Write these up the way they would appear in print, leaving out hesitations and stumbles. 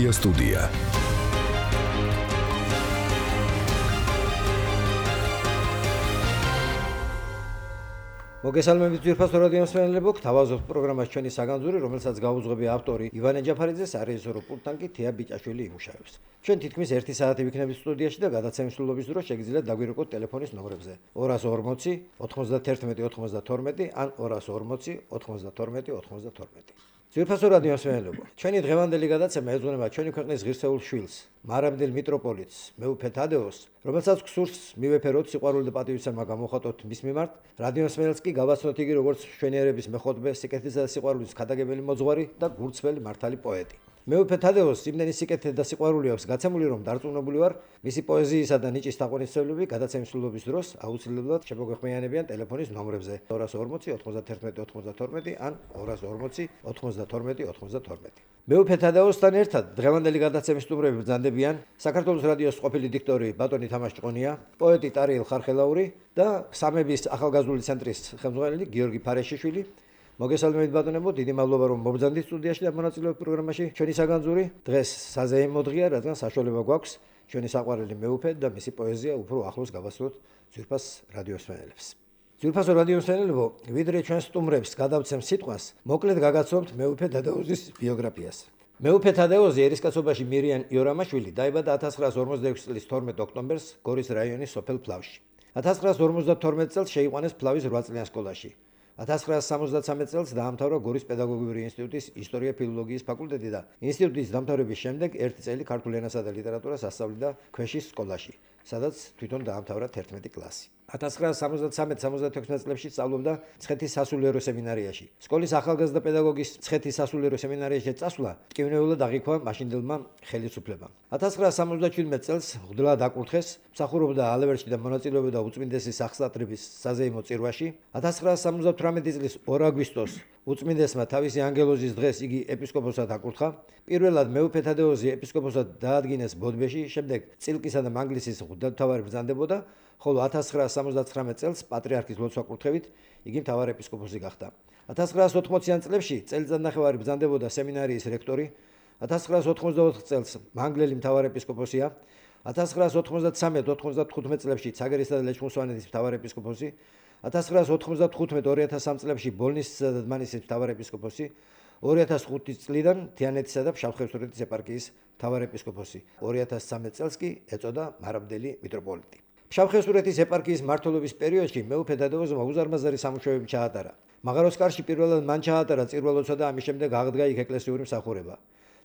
Media Studia. მოგესალმებით ძვირფასო რადიო მსმენელებო, გთავაზობთ პროგრამას ჩვენი საგანძური, რომელსაც გაუძღვები ავტორი ივანე ჯაფარიძე, სარეჟისორო პულტთან კი თეა ბიჭაშვილი იმუშავებს. ჩვენ თითქმის 1 საათი ვიქნებით სტუდიაში და გადაცემის სრულობის დროს შეგიძლიათ დაგვირეკოთ ტელეფონის ნომრებზე 240 91 92 ან 240 92 92. ძვირფასო რადიო მსმენელებო, ჩვენი დღევანდელი გადაცემა ეძღვნება ჩვენი ქვეყნის ღირსეულ შვილს, მარაბდელ მიტროპოლიტს, მეუფე თადეოს, რომელსაც გსურს მივეფეროთ სიყვარული და პატივისცემა გამოხატოთ მის მიმართ. რადიო მსმენელს კი გავაცნოთ იგი როგორც მშვენიერების მეხოთბე, სიკეთისა და სიყვარულის ქადაგებელი მოძღვარი და გულწრფელი მართალი პოეტი. მეუფე თადეოს იმდენი სიკეთე და სიყვარული აქვს გაცემული, რომ დარწმუნებული ვარ, მისი პოეზიისა და ნიჭის თაყვანისმცემლები გადაცემის სრულობის დროს აუცილებლად შემოგვეხმიანებიან ტელეფონის ნომრებზე 240 91 92 ან 240 92 92. მეუფე თადეოსთან ერთად დღევანდელი გადაცემის სტუმრები ბრძანდებიან საქართველოს რადიოს ყოფილი დიქტორი ბატონი თამაშ ჭყონია, პოეტი ტარიელ ხარხელაური და სამების ახალგაზრდული ცენტრის ხელმძღვანელი გიორგი ფარეშიშვილი. მოგესალმებით ბატონებო, დიდი მადლობა რომ მობრძანდით სტუდიაში და მონაწილეობთ პროგრამაში. ჩვენი საგანძური დღეს საზეიმო დღეა, რადგან საშუალება გვაქვს ჩვენი საყვარელი მეუფე და მისი პოეზია უფრო ახლოს გავასწროთ ძვირფას რადიო მსმენელებს. ძვირფასო რადიო მსმენელებო, ვიდრე ჩვენ სტუმრებს გადავცემ სიტყვას, მოკლედ გაგაცნობთ მეუფე თადეოზის ბიოგრაფიას. მეუფე თადეოზი ერისკაცობაში მირიან იორამაშვილი დაიბადა 1946 წლის 12 ოქტომბერს გორის რაიონის სოფელ ფლავში. 1952 წელს შეიყვანეს ფლავის 8 წლიან სკოლაში. 1973 წელს დაამთავრა გორის პედაგოგიური ინსტიტუტის ისტორია-ფილოლოგიის ფაკულტეტი და ინსტიტუტის დამთავრების შემდეგ 1 წელი ქართულ ენასა და ლიტერატურას ასწავლიდა ქვეშის სკოლაში, სადაც თვითონ დაამთავრა 11 კლასი. 1973-76 წლებში სწავლობდა ცხეთის სასულიერო სემინარიაში. სკოლის ახალგაზრდა პედაგოგის ცხეთის სასულიერო სემინარიაში წასვლა ტკივნეულად აღიქვა მაშინდელმა ხელისუფლებამ. 1977 წელს ღვთლად აკურთხეს, მსახურობდა ალევერში და მონაწილეობდა უწმინდესი სახსრატების საზეიმო წირვაში. 1978 წლის 2 აგვისტოს უწმინდესმა თავისი ანგელოზის დღეს იგი ეპისკოპოსად აკურთხა. პირველად მეუფე თადეოზი ეპისკოპოსად დაადგინეს ბოდბეში, შემდეგ წილკისა და მანგლისის ღვთისმთავარი ბრძანდებოდა, ხოლო 1979 წელს პატრიარქის ლოცვა-კურთხევით იგი მთავარეპისკოპოსი გახდა. 1980-იან წლებში წელიწადნახევარი ბრძანდებოდა სემინარიის რექტორი, 1984 წელს მანგლელი მთავარეპისკოპოსია, 1993-95 წლებში ცაგერისა და ლეჩხუმსვანეთის მთავარეპისკოპოსი, 1995-2003 წლებში ბოლნისისა და დმანისის მთავარეპისკოპოსი, 2005 წლიდან თიანეთისა და ფშავ-ხევსურეთის ეპარქიის მთავარეპისკოპოსი, 2013 წელს კი ეწოდა მარაბდელი მიტროპოლიტი. ფშავ-ხევსურეთის ეპარქიის მმართველობის პერიოდში მეუფე თადეოზმა უზარმაზარი სამუშაოები ჩაატარა. მაღაროსკარში პირველად მან ჩაატარა წირვა-ლოცვა და ამის შემდეგ აღდგა იქ ეკლესიური მსახურება.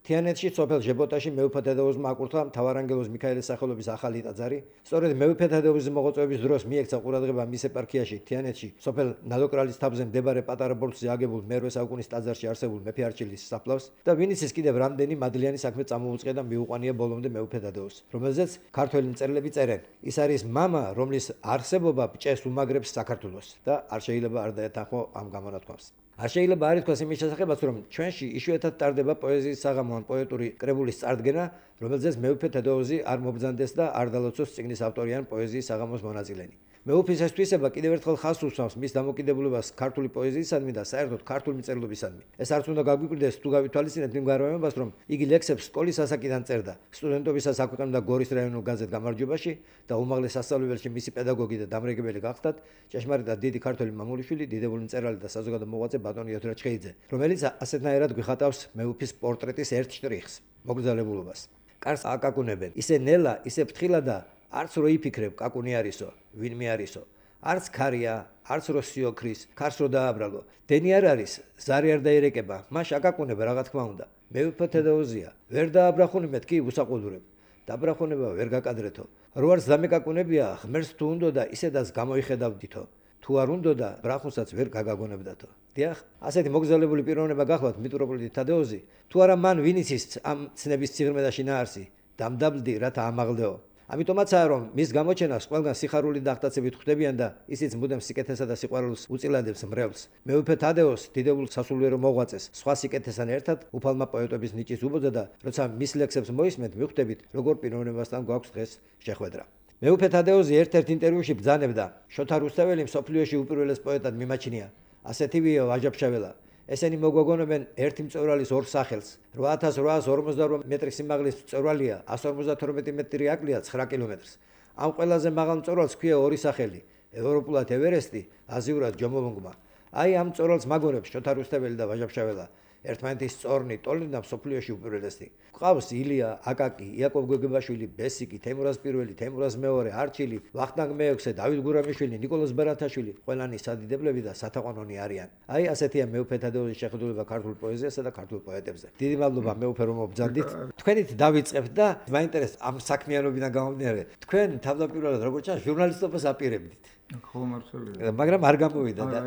თიანეთში სოფელ ჟებოტაში მეუფე თადეოზმა აკურთხა მთავარანგელოზ მიქაელის სახელობის ახალი ტაძარი. სწორედ მეუფე თადეოზის მოღვაწეობის დროს მიექცა ყურადღება მის ეპარქიაში თიანეთში სოფელ ნადოკრალის თაფზე მდებარე პატარა ბორცვზე აგებულ მე-8 საუკუნის ტაძარში არსებულ მეფე არჩილის საფლავს და ვინიცის კიდევ რამდენი მადლიანი საქმე წამოუწყია და მიუყვანია ბოლომდე მეუფე თადეოს, რომელზეც ქართველი მწერლები წერენ. ის არის მამა, რომლის არსებობა ბჭეს უმაგრებს საქართველოს და არ შეიძლება არ დაეთანხმო ამ გამონათქვამს. არ შეიძლება არ ითქვას იმის შესახებაც, რომ ჩვენში იშვიათად ტარდება პოეზიის საღამო ან პოეტური კრებულის წარდგენა, რომელზეც მეუფე თადეოზი არ მობრძანდეს და არ დალოცოს წიგნის ავტორი ან პოეზიის საღამოს მონაწილენი. მეუფის ეს თვისება კიდევ ერთხელ ხაზს უსვამს მის დამოკიდებულებას ქართული პოეზიისადმი და საერთოდ ქართული მწერლობისადმი. ეს არც უნდა გაგვიკვირდეს თუ გავითვალისწინებთ იმ გარემოებას, რომ იგი ლექსებს სკოლის ასაკიდან წერდა, სტუდენტობისას აქვეყნებდა გორის რაიონულ გაზეთ გამარჯვებაში და უმაღლეს სასწავლებელში მისი პედაგოგი და დამრიგებელი გახდათ ჭეშმარიტად დიდი ქართველი მამულიშვილი, დიდებული მწერალი და საზოგადო მოღვაწე ბატონი იოთრა ჩხეიძე, რომელიც ასეთნაირად გვიხატავს მეუფის პორტრეტის ერთ შტრიხს, მოგზაურობას. კარს აკაკუნებენ, ისე ნელა, ისე ფრთხილა და არც რო იფიქრებ კაკუნი არისო, ვინმე არისო, არც ქარია, არც რო სიოქრის, ქარს რო დააბრალო, დენი არ არის, ზარი არ დაირეკება, მაშ აკაკუნება რა თქმა უნდა. მეუფე თადეოზია, ვერ დააბრახუნებთ კი უსაყუდრებ. დაბრახუნება ვერ გაკადრეთო. რო არც დამეკაკუნებია, ღმერთს თუ უნდა და ისედაც გამოიხედავდითო. თუ არ უნდა და ბრახუნსაც ვერ გაგაგონებდათო. დიახ, ასეთი მოგზაურებული პიროვნება გახლავთ მიტროპოლიტი თადეოზი, თუ არა მან ვინიცის ამ ცნების ციღრმედაში ნაარსი, დამდაბლდი რათა ამაღლდეო. ამიტომაცაა რომ მის გამოჩენას ყველგან სიხარული და აღტაცებით ხვდებიან და ისიც მუდამ სიკეთესა და სიყვარულს უწილადებს მრევლს. მეუფე თადეოს დიდებულ სასულიერო მოღვაწეს სხვა სიკეთესთან ერთად უფალმა პოეტობის ნიჭის უბოძა და როცა მის ლექსებს მოისმენთ მიხვდებით როგორ პიროვნებასთან გვაქვს დღეს შეხვედრა. მეუფე თადეოზი ერთ-ერთ ინტერვიუში ბრძანებდა: შოთა რუსთაველი მსოფლიოში უპირველეს პოეტად მიმაჩნია. ასეთივეა ვაჟა ფშაველა. ესენი მოგვაგონებენ ერთი მწვერვალის ორ სახელს. 8848 მეტრის სიმაღლის მწვერვალია, 152 მეტრი აკლია 9 კილომეტრს. ამ ყველაზე მაღალ მწვერვალს ქვია ორი სახელი: ევროპულად ევერესტი, აზიურად ჯომოლუნგმა. აი ამ მწვერვალს მაგონებს შოთა რუსტეველი და ვაჟა-ფშაველა. ერთმანეთის სწორნი, ტოლნი და მსოფლიოში უპირველესი. ყავს ილია, აკაკი, იაკობ გოგებაშვილი, ბესიკი, თემურაზ პირველი, თემურაზ მეორე, არჩილი, ვახტანგ მეექვსე, დავით გურამიშვილი, ნიკოლოზ ბარათაშვილი, ყველანი სადიდებლები და სათაყვანონი არიან. აი ასეთია მეუფე თადეუზის შეხედულება ქართულ პოეზიასა და ქართულ პოეტებზე. დიდი მადლობა მეუფე რომ მობრძანდით. თქვენით დავიწყებთ და მაინტერესებს ამ საქმიანობიდან გამომდინარე. თქვენ თავდაპირველად როგორც ჩანს ჟურნალისტობას აპირებდით. ხო მართალია. მაგრამ არ გამოვიდა და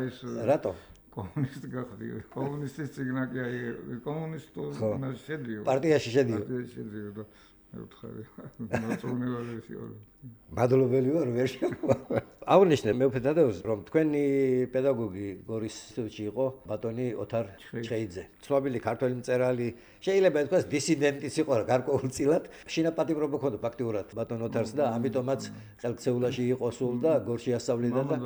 რატომ? კომუნისტი გახდი. კომუნისტის ციგნაკი აი კომუნისტურმა შედიო. პარტიაში შედიო. და მეუთხარი. მოწონებადი ვარ. მადლობელი ვარ ვერ შემოვა. აღნიშნე მეუფე თადეუზ რომ თქვენი პედაგოგი გორის ინსტიტუტში იყო ბატონი ოთარ ჩხეიძე. ცნობილი ქართველი მწერალი, შეიძლება ითქვას დისიდენტიც იყო გარკვეულწილად. შინაპატიმრობა ჰქონდა ფაქტიურად ბატონ ოთარს და ამიტომაც ხელქცეულაში იყო სულ და გორში ასწავლიდა და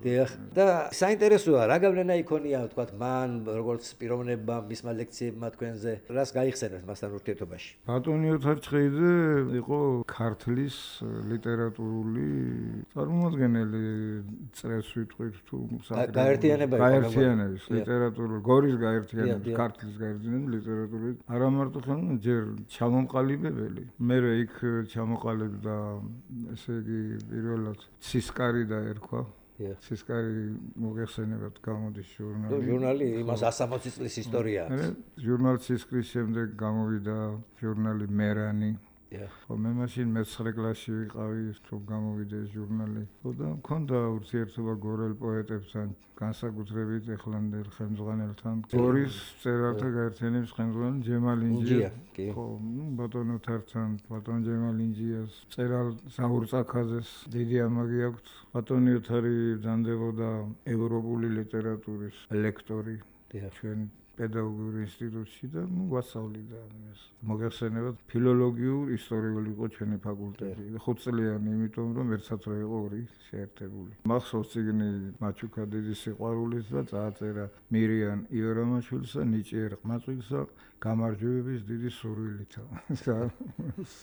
დიახ. და საინტერესოა რა გავლენა იქონია თქვა მან როგორც პიროვნებამ მისმა ლექციებმა თქვენზე. რას გაიხსენებთ მასთან ურთიერთობაში? ბატონი ოთარ ჩხეიძე იყო ქართლის ლიტერატურული წარმომადგენელი, წრეს ვიტყვით თუ გაერთიანების ლიტერატურული გორის გაერთიანების ქართლის გაერთიანების ლიტერატურული არა მარტო ხან ჯერ ჩამომყალიბებელი. მერე იქ ჩამოყალიბდა ესე იგი პირველად ცისკარი დაერქვა. ცისკარი მოგეხსენებათ გამოდის ჟურნალი იმას 160 წლის ისტორია. ჟურნალ ცისკრის შემდეგ გამოვიდა ჟურნალი მერანი. ხო მე მაშინ მე-9 კლასში ვიყავი თუ გამოვიდა ეს ჟურნალი. ხო და მქონდა ურთიერთობა გორელ პოეტებთან, განსაკუთრებით ეხლანდელ ხელმძღვანელთან. გორის მწერალთა გაერთიანების ხელმძღვანელ ჯემალინჯია. ხო, ბატონ ოთართან, ბატონ ჯემალინჯიას, მწერალ საურ წაქაძეს დიდი ამაგი აქვს. ბატონი ოთარი ბრძანდებოდა ევროპული ლიტერატურის ლექტორი. ჩვენ პედაგოგიურ ინსტიტუტში და ვასწავლიდა ამას. მოგეხსენებათ ფილოლოგიურ ისტორიული იყო ჩვენი ფაკულტეტი. 5 წლიანი, იმიტომ რომ ერთად რა იყო ორი შეერთებული. მახსოვს წიგნი მაჩუკა დიდი სიყვარულით და წააწერა მირიან იორამაშვილსა ნიჭიერ ყმაწვილსა გამარჯვებების დიდი სურვილით.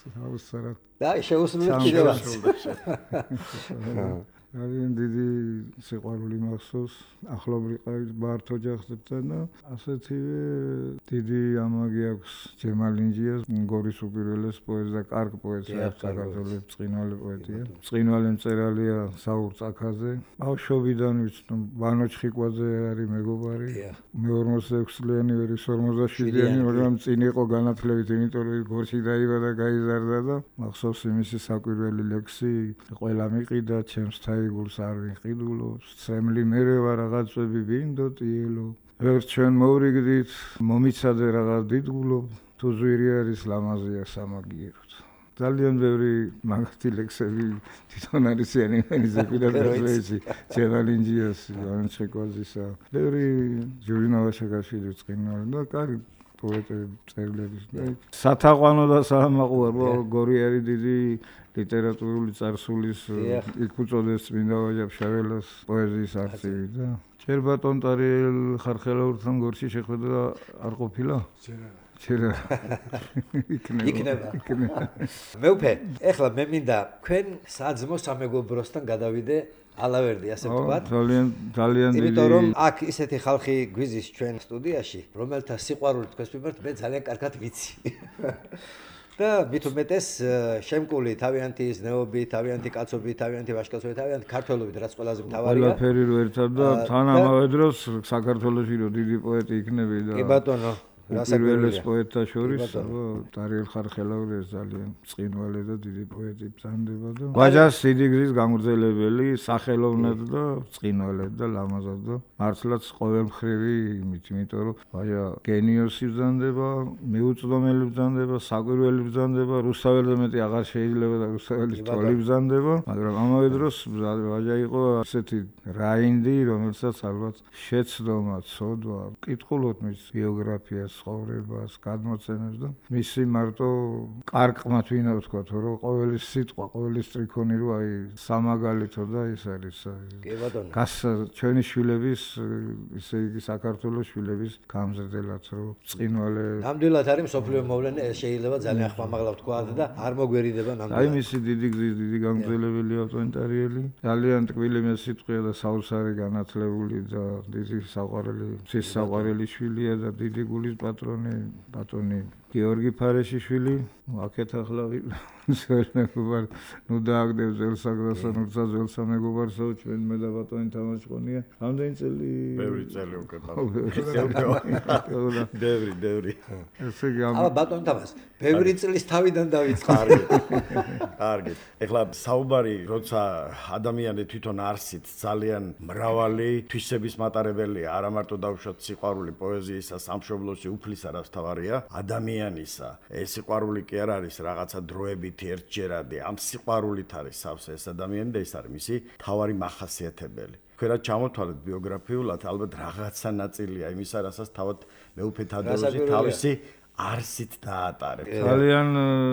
საუსარად. და შეუსრულეთ კიდევაც. ძალიან დიდი სიყვარული მახსოვს ახლობრივ ბართ ოჯახებთან და ასეთივე დიდი ამაგი აქვს ჯემალინჯიას გორის უპირველეს პოეტს და კარგ პოეტს საქართველოს ბრწყინვალე პოეტია. ბრწყინვალე მწერალია საურ წაქაძე. ბავშვობიდან ვიცნობ ვანო ჩხიკვაძე არის მეგობარი. მე 46 წლიანი ვერი 57-იანი, მაგრამ წინ იყო განათლებით, იმიტომ რომ გორში დაიბადა, გაიზარდა და მახსოვს იმისი საკვირველი ლექსი ყველა მიყიდა ჩემს იგულს არ ვიყიდულო, სემლი მერე ვარ რაღაცები ვინდოტიელო. ვერ ჩვენ მოვრიგდით, მომიცადე რაღაც დიდგულო, თუ ზვირი არის ლამაზია სამაგიეროთ. ძალიან ბევრი მაგათი ლექსები თვითონ არის ენიმენიზე პირადად ჯემალინჯიას, ვანჩეკვაზისა. ბევრი ჯურინა ვაშაკაშვილი ბრწყინვალე და კარგი პოეტები წერილების და სათაყვანო და საამაყუარო გორი არის დიდი ლიტერატურული წარსულის იქ უწოდეს წმინდა ვაჟა-ფშაველას პოეზიის არწივი და ჯერ ბატონ ტარიელ ხარხელაურთან გორში შეხვედრა არ ყოფილა? ჯერა. იქნება. მეუფე, ეხლა მე მინდა თქვენ საძმო სამეგობროსთან გადავიდე ალავერდი, ასე ვთქვათ. ძალიან დიდი. იმიტომ რომ აქ ისეთი ხალხი გვიზის ჩვენ სტუდიაში, რომელთა სიყვარული თქვენს მიმართ მე ძალიან კარგად ვიცი. და მით უმეტეს შემკული თავიანთი ზნეობით, თავიანთი კაცობით, თავიანთი ვაჟკაცობით, თავიანთი ქართველობით, რაც ყველაზე მთავარია. ყველაფერი რო ერთად და თან ამავე დროს საქართველოში რო დიდი პოეტი იქნები და კი ბატონო. პირველეს პოეტთა შორის ტარიელ ხარხელაური ძალიან ბრწყინვალე და დიდი პოეტი ბრძანდება და ვაჟას სიდიგრის გამგრძელებელი, სახელოვნად და ბრწყინვალედ და ლამაზად და მართლაც ყოველმხრივი იმით, იმიტომ რომ ვაჟა გენიოსი ბრძანდება, მიუწვდომელი ბრძანდება, საკვირველი ბრძანდება, რუსთაველზე მეტი აღარ შეიძლება და რუსთაველის ტოლი ბრძანდება, მაგრამ ამავე დროს ვაჟა იყო ასეთი რაინდი, რომელსაც ალბათ შეცდომა, ცოდვა, კითხულობთ მის ბიოგრაფიას ცხოვრებას, გადმოცემებს და მისი მარტო კარგყმათ ვინა ვთქვა, რომ ყოველი სიტყვა, ყოველი სტრიქონი რო აი სამაგალითო და ის არის. კი ბატონო. ჩვენი შვილების, ისე იგი საქართველოს შვილების გამზრდელად რო წინვალე. ნამდვილად არის მსოფლიო მოვლენა, ეს შეიძლება ძალიან ხმამაღლა ვთქვა და არ მოგვერიდება ნამდვილად. აი მისი დიდი გზის დიდი გამგზელებელი ავტოინტერიელი, ძალიან ტკბილი სიტყვია და საოცარი განათლებული და დიდი საყვარელი შვილია და დიდი გულის პატრონი, ბატონი გიორგი ფარეშიშვილი, აქეთ ახლა მეგობარ, დააგდებ ზელსაგდასა, ნუცა ზელსა მეგობარსო, ჩვენ მე და ბატონი თამაშყონია. ამდენი წელი? ბევრი წელი უკვე. ბევრი. ესე იგი აბა ბატონი თამაშ, ბევრი წლის თავიდან დავიწყე. კარგი. ეხლა საუბარი, როცა ადამიანი თვითონ არსით ძალიან მრავალი თვისების მატარებელია, არა მარტო დავუშვათ სიყვარული პოეზიისა, სამშობლოში უფლისა რაც თავარია, ადამიანისა. ეს სიყვარული კი არ არის რაღაცა დროებით ერთჯერადი, ამ სიყვარულით არის სავსე ეს ადამიანი და ეს არის მისი თავარი მახასიათებელი. თქვენ რა ჩამოთვალეთ ბიოგრაფიულად, ალბათ რაღაცა ნაწილია იმისა, რასაც თავად მეუფე თადეოზი თავისი არსით დაატარებს. ძალიან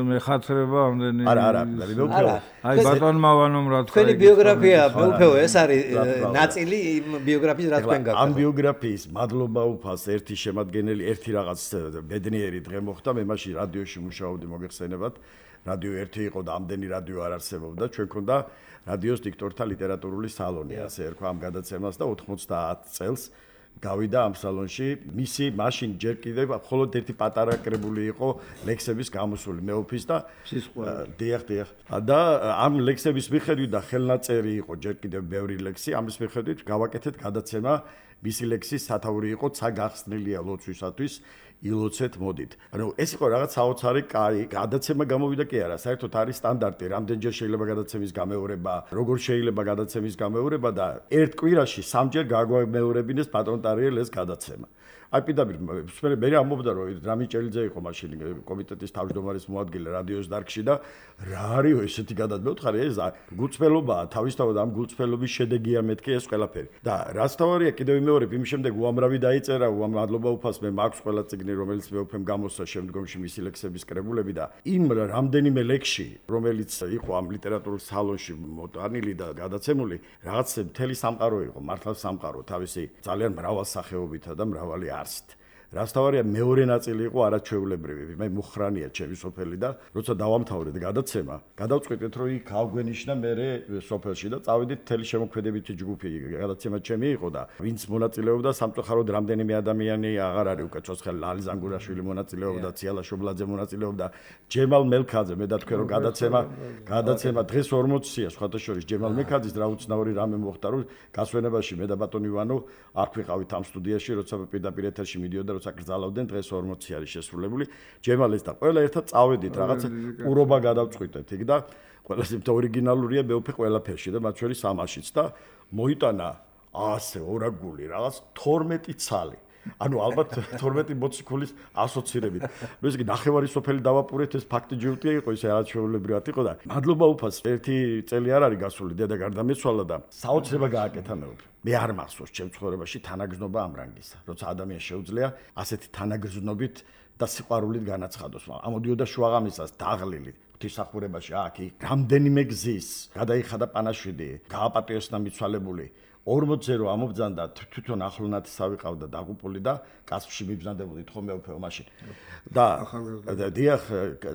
მეხათრება ამდენი. არა, აი ბატონმა ვანომ რა თქვა. თქვენი ბიოგრაფია მეუფეო, ეს არის ნაწილი იმ ბიოგრაფიის რა თქვენ გაქვთ. ამ ბიოგრაფიის მადლობა უფალს ერთი შემადგენელი, ერთი რაღაც ბედნიერი დღე მოხდა, მე მაშინ რადიოში მუშაობდი, მოგეხსენებათ. რადიო 1 იყო და ამდენი რადიო არ არსებობდა, ჩვენ ქონდა რადიოს დიქტორთა ლიტერატურული სალონი, ასე ერქვა ამ გადაცემას და 90 წელს გავიდა ამ სალონში. მისი მაშინ ჯერ კიდევ მხოლოდ ერთი პატარა კრებული იყო ლექსების გამოსული მეუფის და დიახ. და ამ ლექსების მიხედვით და ხელნაწერი იყო ჯერ კიდევ ბევრი ლექსი, ამის მიხედვით გავაკეთეთ გადაცემა. მისი ლექსის სათაური იყო ცა გახსნილია ლოცვისათვის ილოცეთ მოდით. ანუ ეს იყო რაღაც საოცარი კაი გადაცემა გამოვიდა კი არა, საერთოდ არის სტანდარტი, რამდენჯერ შეიძლება გადაცემის გამეორება, როგორ შეიძლება გადაცემის გამეორება და ერთ კვირაში 3-ჯერ გაგვამეორებინეს პატრონ ტარიელ ეს გადაცემა. აი პირდაპირ მე ამბობდა რომ რამიჭელიძე იყო მაშინ კომიტეტის თავმჯდომარის მოადგილე რადიოს დარგში და რა არისო ესეთი გადადმევთხარი ეს გულწრფელობაა თავისთავად ამ გულწრფელობის შედეგია მეთქი ეს ყველაფერი და რაც თავარია კიდევ იმეორებ იმ შემდეგ უამრავი დაიწერა მადლობა უფალს მე მაქვს ყველა წიგნი რომელიც მეუფემ გამოსცა შემდგომში მისი ლექსების კრებულები და იმ რამდენიმე ლექსში რომელიც იყო ამ ლიტერატურულ სალონში მოტანილი და გადაცემული რაღაც მთელი სამყარო იყო მართლა სამყარო თავისი ძალიან მრავალსახეობითა და მრავალი არსით. რასთავარია მეორე ნაწილი იყო არაჩვეულებრივი. მე მუხრანია ჩემი სოფელი და როცა დავამთავრეთ გადაცემა, გადავწყვიტეთ რომ იქ გავგვენიშნა მე სოფელში და წავედით მთელი შემოქმედებითი ჯგუფი. გადაცემა ჩემი იყო და ვინც მონაწილეობდა სამწუხაროდ რამდენიმე ადამიანი აღარ არის უკვე ცოცხალი ლალი ზანგურაშვილი მონაწილეობდა, ციალა შობლაძე მონაწილეობდა, ჯემალ მელქაძე მე და თქვენ რომ გადაცემა დღეს 40-ია სხვათა შორის ჯემალ მელქაძის რა უცნაური რამე მოხდა რომ გასვენებაში მე და ბატონი ვანო აქ ვიყავით ამ სტუდიაში როცა პირდაპირ ეთერში მიდიოდა როცა გრძალავდნენ დღეს 40 არის შესრულებული ჯემალეს და ყველა ერთად წავედით რაღაცა ყურობა გადავწყვიტეთ იქ და ყველაზე ორიგინალურია მეუფე ყველაფერში და მათ შორის ამაშიც და მოიტანა ასე ორაგული რაღაც 12 ცალი ანუ ალბათ 12 მოციქულის ასოცირებით. ნუ ესე იგი ნახევარი სოფელი დავაპურეთ ეს ფაქტი ჯიუტია იყო ისე არაჩვეულებრივად იყო და მადლობა უფალს ერთი წელი არ არის გასული დედა გარდამეცვალა და საოცრება გააკეთა მეუფე. მე არ მახსოვს ჩემ ცხოვრებაში თანაგზნობა ამ რანგისა. როცა ადამიანს შეუძლია ასეთი თანაგზნობით და სიყვარულით განაცხადოს. ამოდიოდა შუაღამისას დაღლილი ღვთისმსახურებაში აქ რამდენიმე გზის გადაიხადა პანაშვიდი, გააპატიოსნა მიცვალებული 40-ზე რომ ამობძანდა თვითონ ახლონათისა ვიყავდა დაღუპული და კასპში მიბრძანდებოდით ხომ მეუფეო მაშინ. და დიახ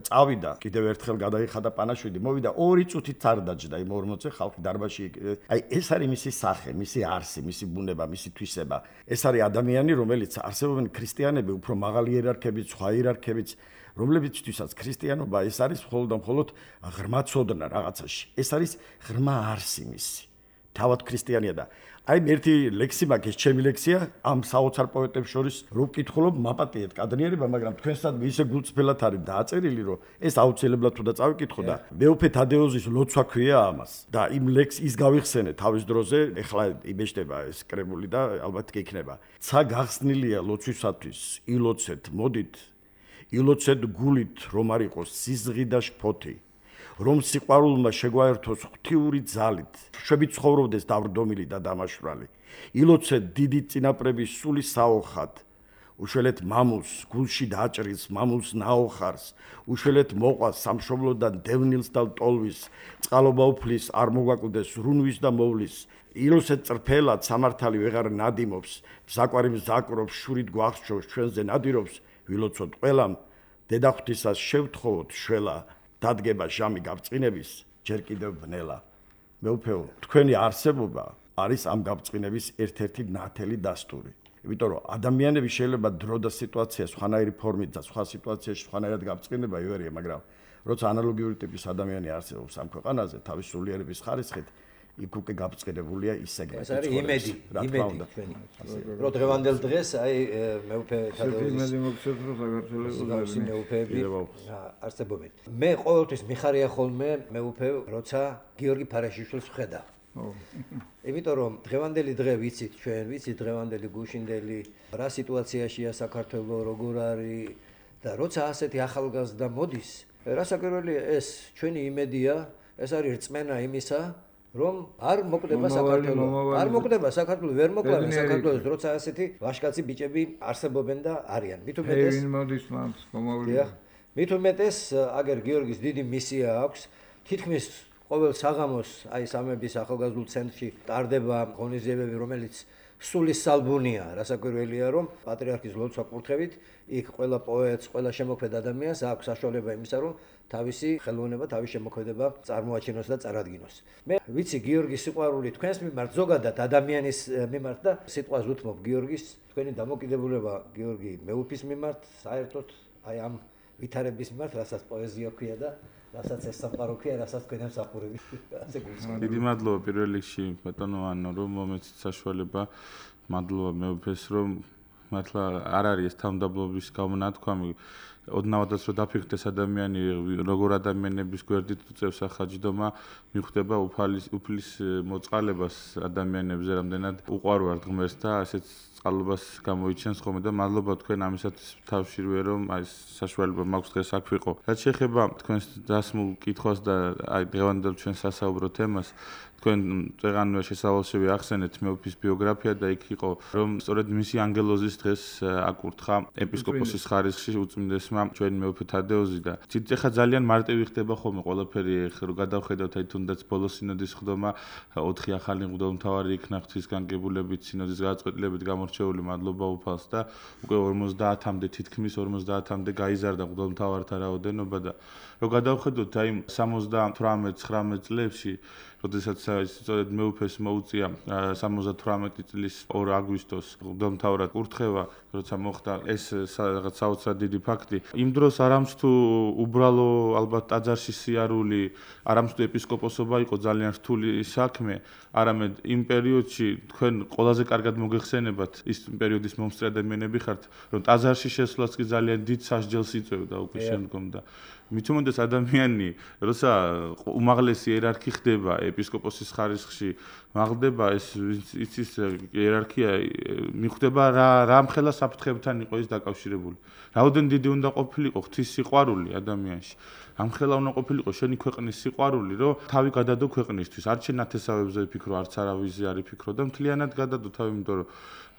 წავიდა კიდევ ერთხელ გადაიხადა პანაშვიდი, მოვიდა 2 წუთით არ დაჯდა იმ 40-ზე ხალხი დარბაზში. აი ეს არის მისი სახე, მისი არსი, მისი ბუნება, მისი თვისება. ეს არის ადამიანი, რომელიც არსებობენ ქრისტიანები, უფრო მაღალი იერარქებით, სხვა იერარქებით, რომლებიცთვისაც ქრისტიანობა ეს არის მხოლოდ და მხოლოდ ღრმა ცოდნა რაღაცაში. ეს არის ღრმა არსი მისი. თავად ქრისტიანია და აი ერთი ლექსი მაქვს, ჩემი ლექსია, ამ საოცარ პოეტებს შორის რო ვკითხულობ, მაპატიეთ კადნიერება, მაგრამ თქვენსადმი ისე გულწრფელად არის დააწერილი, რომ ეს აუცილებლად თუ და წავიკითხო და მეუფე თადეოზის ლოცვა ქვია ამას. და იმ ლექსს ის გავიხსენე თავის დროზე, ეხლა იბეჭდება ეს კრებული და ალბათ კი იქნება. ცა გახსნილია ლოცვისათვის, ილოცეთ, მოდით, ილოცეთ გულით, რომ არ იყოს სიზღი და შფოთი. რომ სიყვარულმა შეგვაერთოს ღვთიური ძალით, შვებით ცხოვრობდეს დავრდომილი და დამაშვრალი. ილოცეთ დიდი წინაპრების სული საოხად, უშველეთ მამულს გულში დაჭრის მამულს ნაოხარს უშველეთ მოყვას სამშობლოდან დევნილს და ტოლვის წყალობა უფლის არ მოგვაკვდეს რუნვის და მოვლის ილოსეთ წრფელად სამართალი ვეღარ ნადიმობს საკვარი მზაკრობს შურით გვახსოვს ჩვენზე ნადირობს ვილოცოთ ყველამ დედახვთისას შევთხოვოთ შველა დადგება ჟამი გაბწყინების ჯერ კიდევ ბნელა მეუფეო თქვენი არსებობა არის ამ გაბწყინების ერთ-ერთი ნათელი დასტური იმიტომ რომ ადამიანები შეიძლება დრო და სიტუაცია სხვანაირი ფორმით და სხვა სიტუაციაში სხვანაირად გაბწყინება ივერია მაგრამ როცა ანალოგიური ტიპის ადამიანი არსებობს ამ ქვეყანაზე თავის სულიერების ხარისხით იქ უკვე გაბწყინებულია ისე ეს არის იმედი ჩვენი რომ დღევანდელ დღეს აი მეუფე თადეუზის იმედი მოგცეთ რომ საქართველოს მეუფეები არსებობენ მე ყოველთვის მიხარია ხოლმე მეუფე როცა გიორგი ფარაშიშვილს ვხედავ იმიტომ რომ დღევანდელი დღე ვიცით ჩვენ ვიცით დღევანდელი გუშინდელი რა სიტუაციაშია საქართველოს როგორ არის და როცა ასეთი ახალგაზრდა მოდის რასაკვირველია ეს ჩვენი იმედია ეს არის რწმენა იმისა რომ არ მოკვდება საქართველოს არ მოკვდება საქართველოს ვერ მოკვდება საქართველოს როცა ასეთი ვაშკაცი ბიჭები არსებობენ და არიან მით უმეტეს აგერ გიორგის დიდი მისია აქვს თითქმის ყოველ საღამოს აი სამების ახალგაზრდულ ცენტრში ტარდება ღონისძიებები რომელიც სულის სალბუნია რასაკვირველია რომ პატრიარქის ლოცვა კურთხევით იქ ყველა პოეტს ყველა შემოქმედ ადამიანს აქვს საშუალება იმისა რომ თავისი ხელოვნება თავის შემოქმედება წარმოაჩინოს და წარადგინოს მე ვიცი გიორგის სიყვარული თქვენს მიმართ ზოგადად ადამიანის მიმართ და სიტყვას უთმობ გიორგის თქვენი დამოკიდებულება გიორგი მეუფის მიმართ საერთოდ აი ამ ვითარების მიმართ რასაც პოეზია ქვია და რასაც ეს სამყარო ქვია, რასაც თქვენ ამსახურები. ასე გულისხმობ. დიდი მადლობა პირველ რიგში ბატონო ანო რომ მომეცით საშუალება. მადლობა მეუფეს რომ მართლა არ არის ეს თავმდაბლობის გამონათქვამი. ოდნავადაც რომ დაფიქრდეს ადამიანი როგორ ადამიანების გვერდით უწევს ახაჯდომა მიხვდება უფლის მოწყალებას ადამიანებზე რამდენად უყვარვარ ღმერთს და ასეთ წყალობას გამოიჩენს ხოლმე და მადლობა თქვენ ამისათვის თავშივე რომ აი საშუალება მაქვს დღეს აქ ვიყო. რაც შეეხება თქვენს დასმულ კითხვას და აი დღევანდელ ჩვენ სასაუბრო თემას თქვენ წეღანვე შესავალშები ახსენეთ მეუფის ბიოგრაფია და იქ იყო რომ სწორედ მისი ანგელოზის დღეს აკურთხა ეპისკოპოსის ხარისხში უწმინდესმა ჩვენი მეუფე თადეოზი და ცით ეხა ძალიან მარტივი ხდება ხოლმე ყველაფერი რომ გადავხედავთ აი თუნდაც ბოლო სინოდის ხდომა 4 ახალი მღვდელმთავარი იქნა ღვთისგანგებულებით სინოდის გადაწყვეტილებით გამორჩეული მადლობა უფალს და უკვე 50-მდე თითქმის 50-მდე გაიზარდა მღვდელმთავართა რაოდენობა და რომ გადავხედოთ აი 78-19 წლებში როდესაც სწორედ მეუფეს მოუწია 78 წლის 2 აგვისტოს მღვდელმთავრად კურთხევა, როცა მოხდა ეს რაღაც საოცრად დიდი ფაქტი. იმ დროს არამც თუ უბრალო ალბათ ტაძარში სიარული, არამც თუ ეპისკოპოსობა იყო ძალიან რთული საქმე, არამედ იმ პერიოდში თქვენ ყველაზე კარგად მოგეხსენებათ ის პერიოდის მომსწრე ადამიანები ხართ, რომ ტაძარში შესვლაც კი ძალიან დიდ სასჯელს იწევდა უკვე შემდგომ და მით უმეტეს ადამიანი, როცა უმაღლესი იერარქი ხდება ეპისკოპოსის ხარისხში, მაღლდება ეს იცის იერარქია მიხვდება რა მხელა საფრთხეებთან იყო ის დაკავშირებული. რაოდენ დიდი უნდა ყოფილიყო ღვთის სიყვარული ადამიანში. ამხელა უნდა ყოფილიყო შენი ქვეყნის სიყვარული, რომ თავი გადადო ქვეყნისთვის. არ შენ ნათესავებზე ვიფიქრო, არც არავიზე არ ვიფიქრო და მთლიანად გადადო თავი, იმიტომ რომ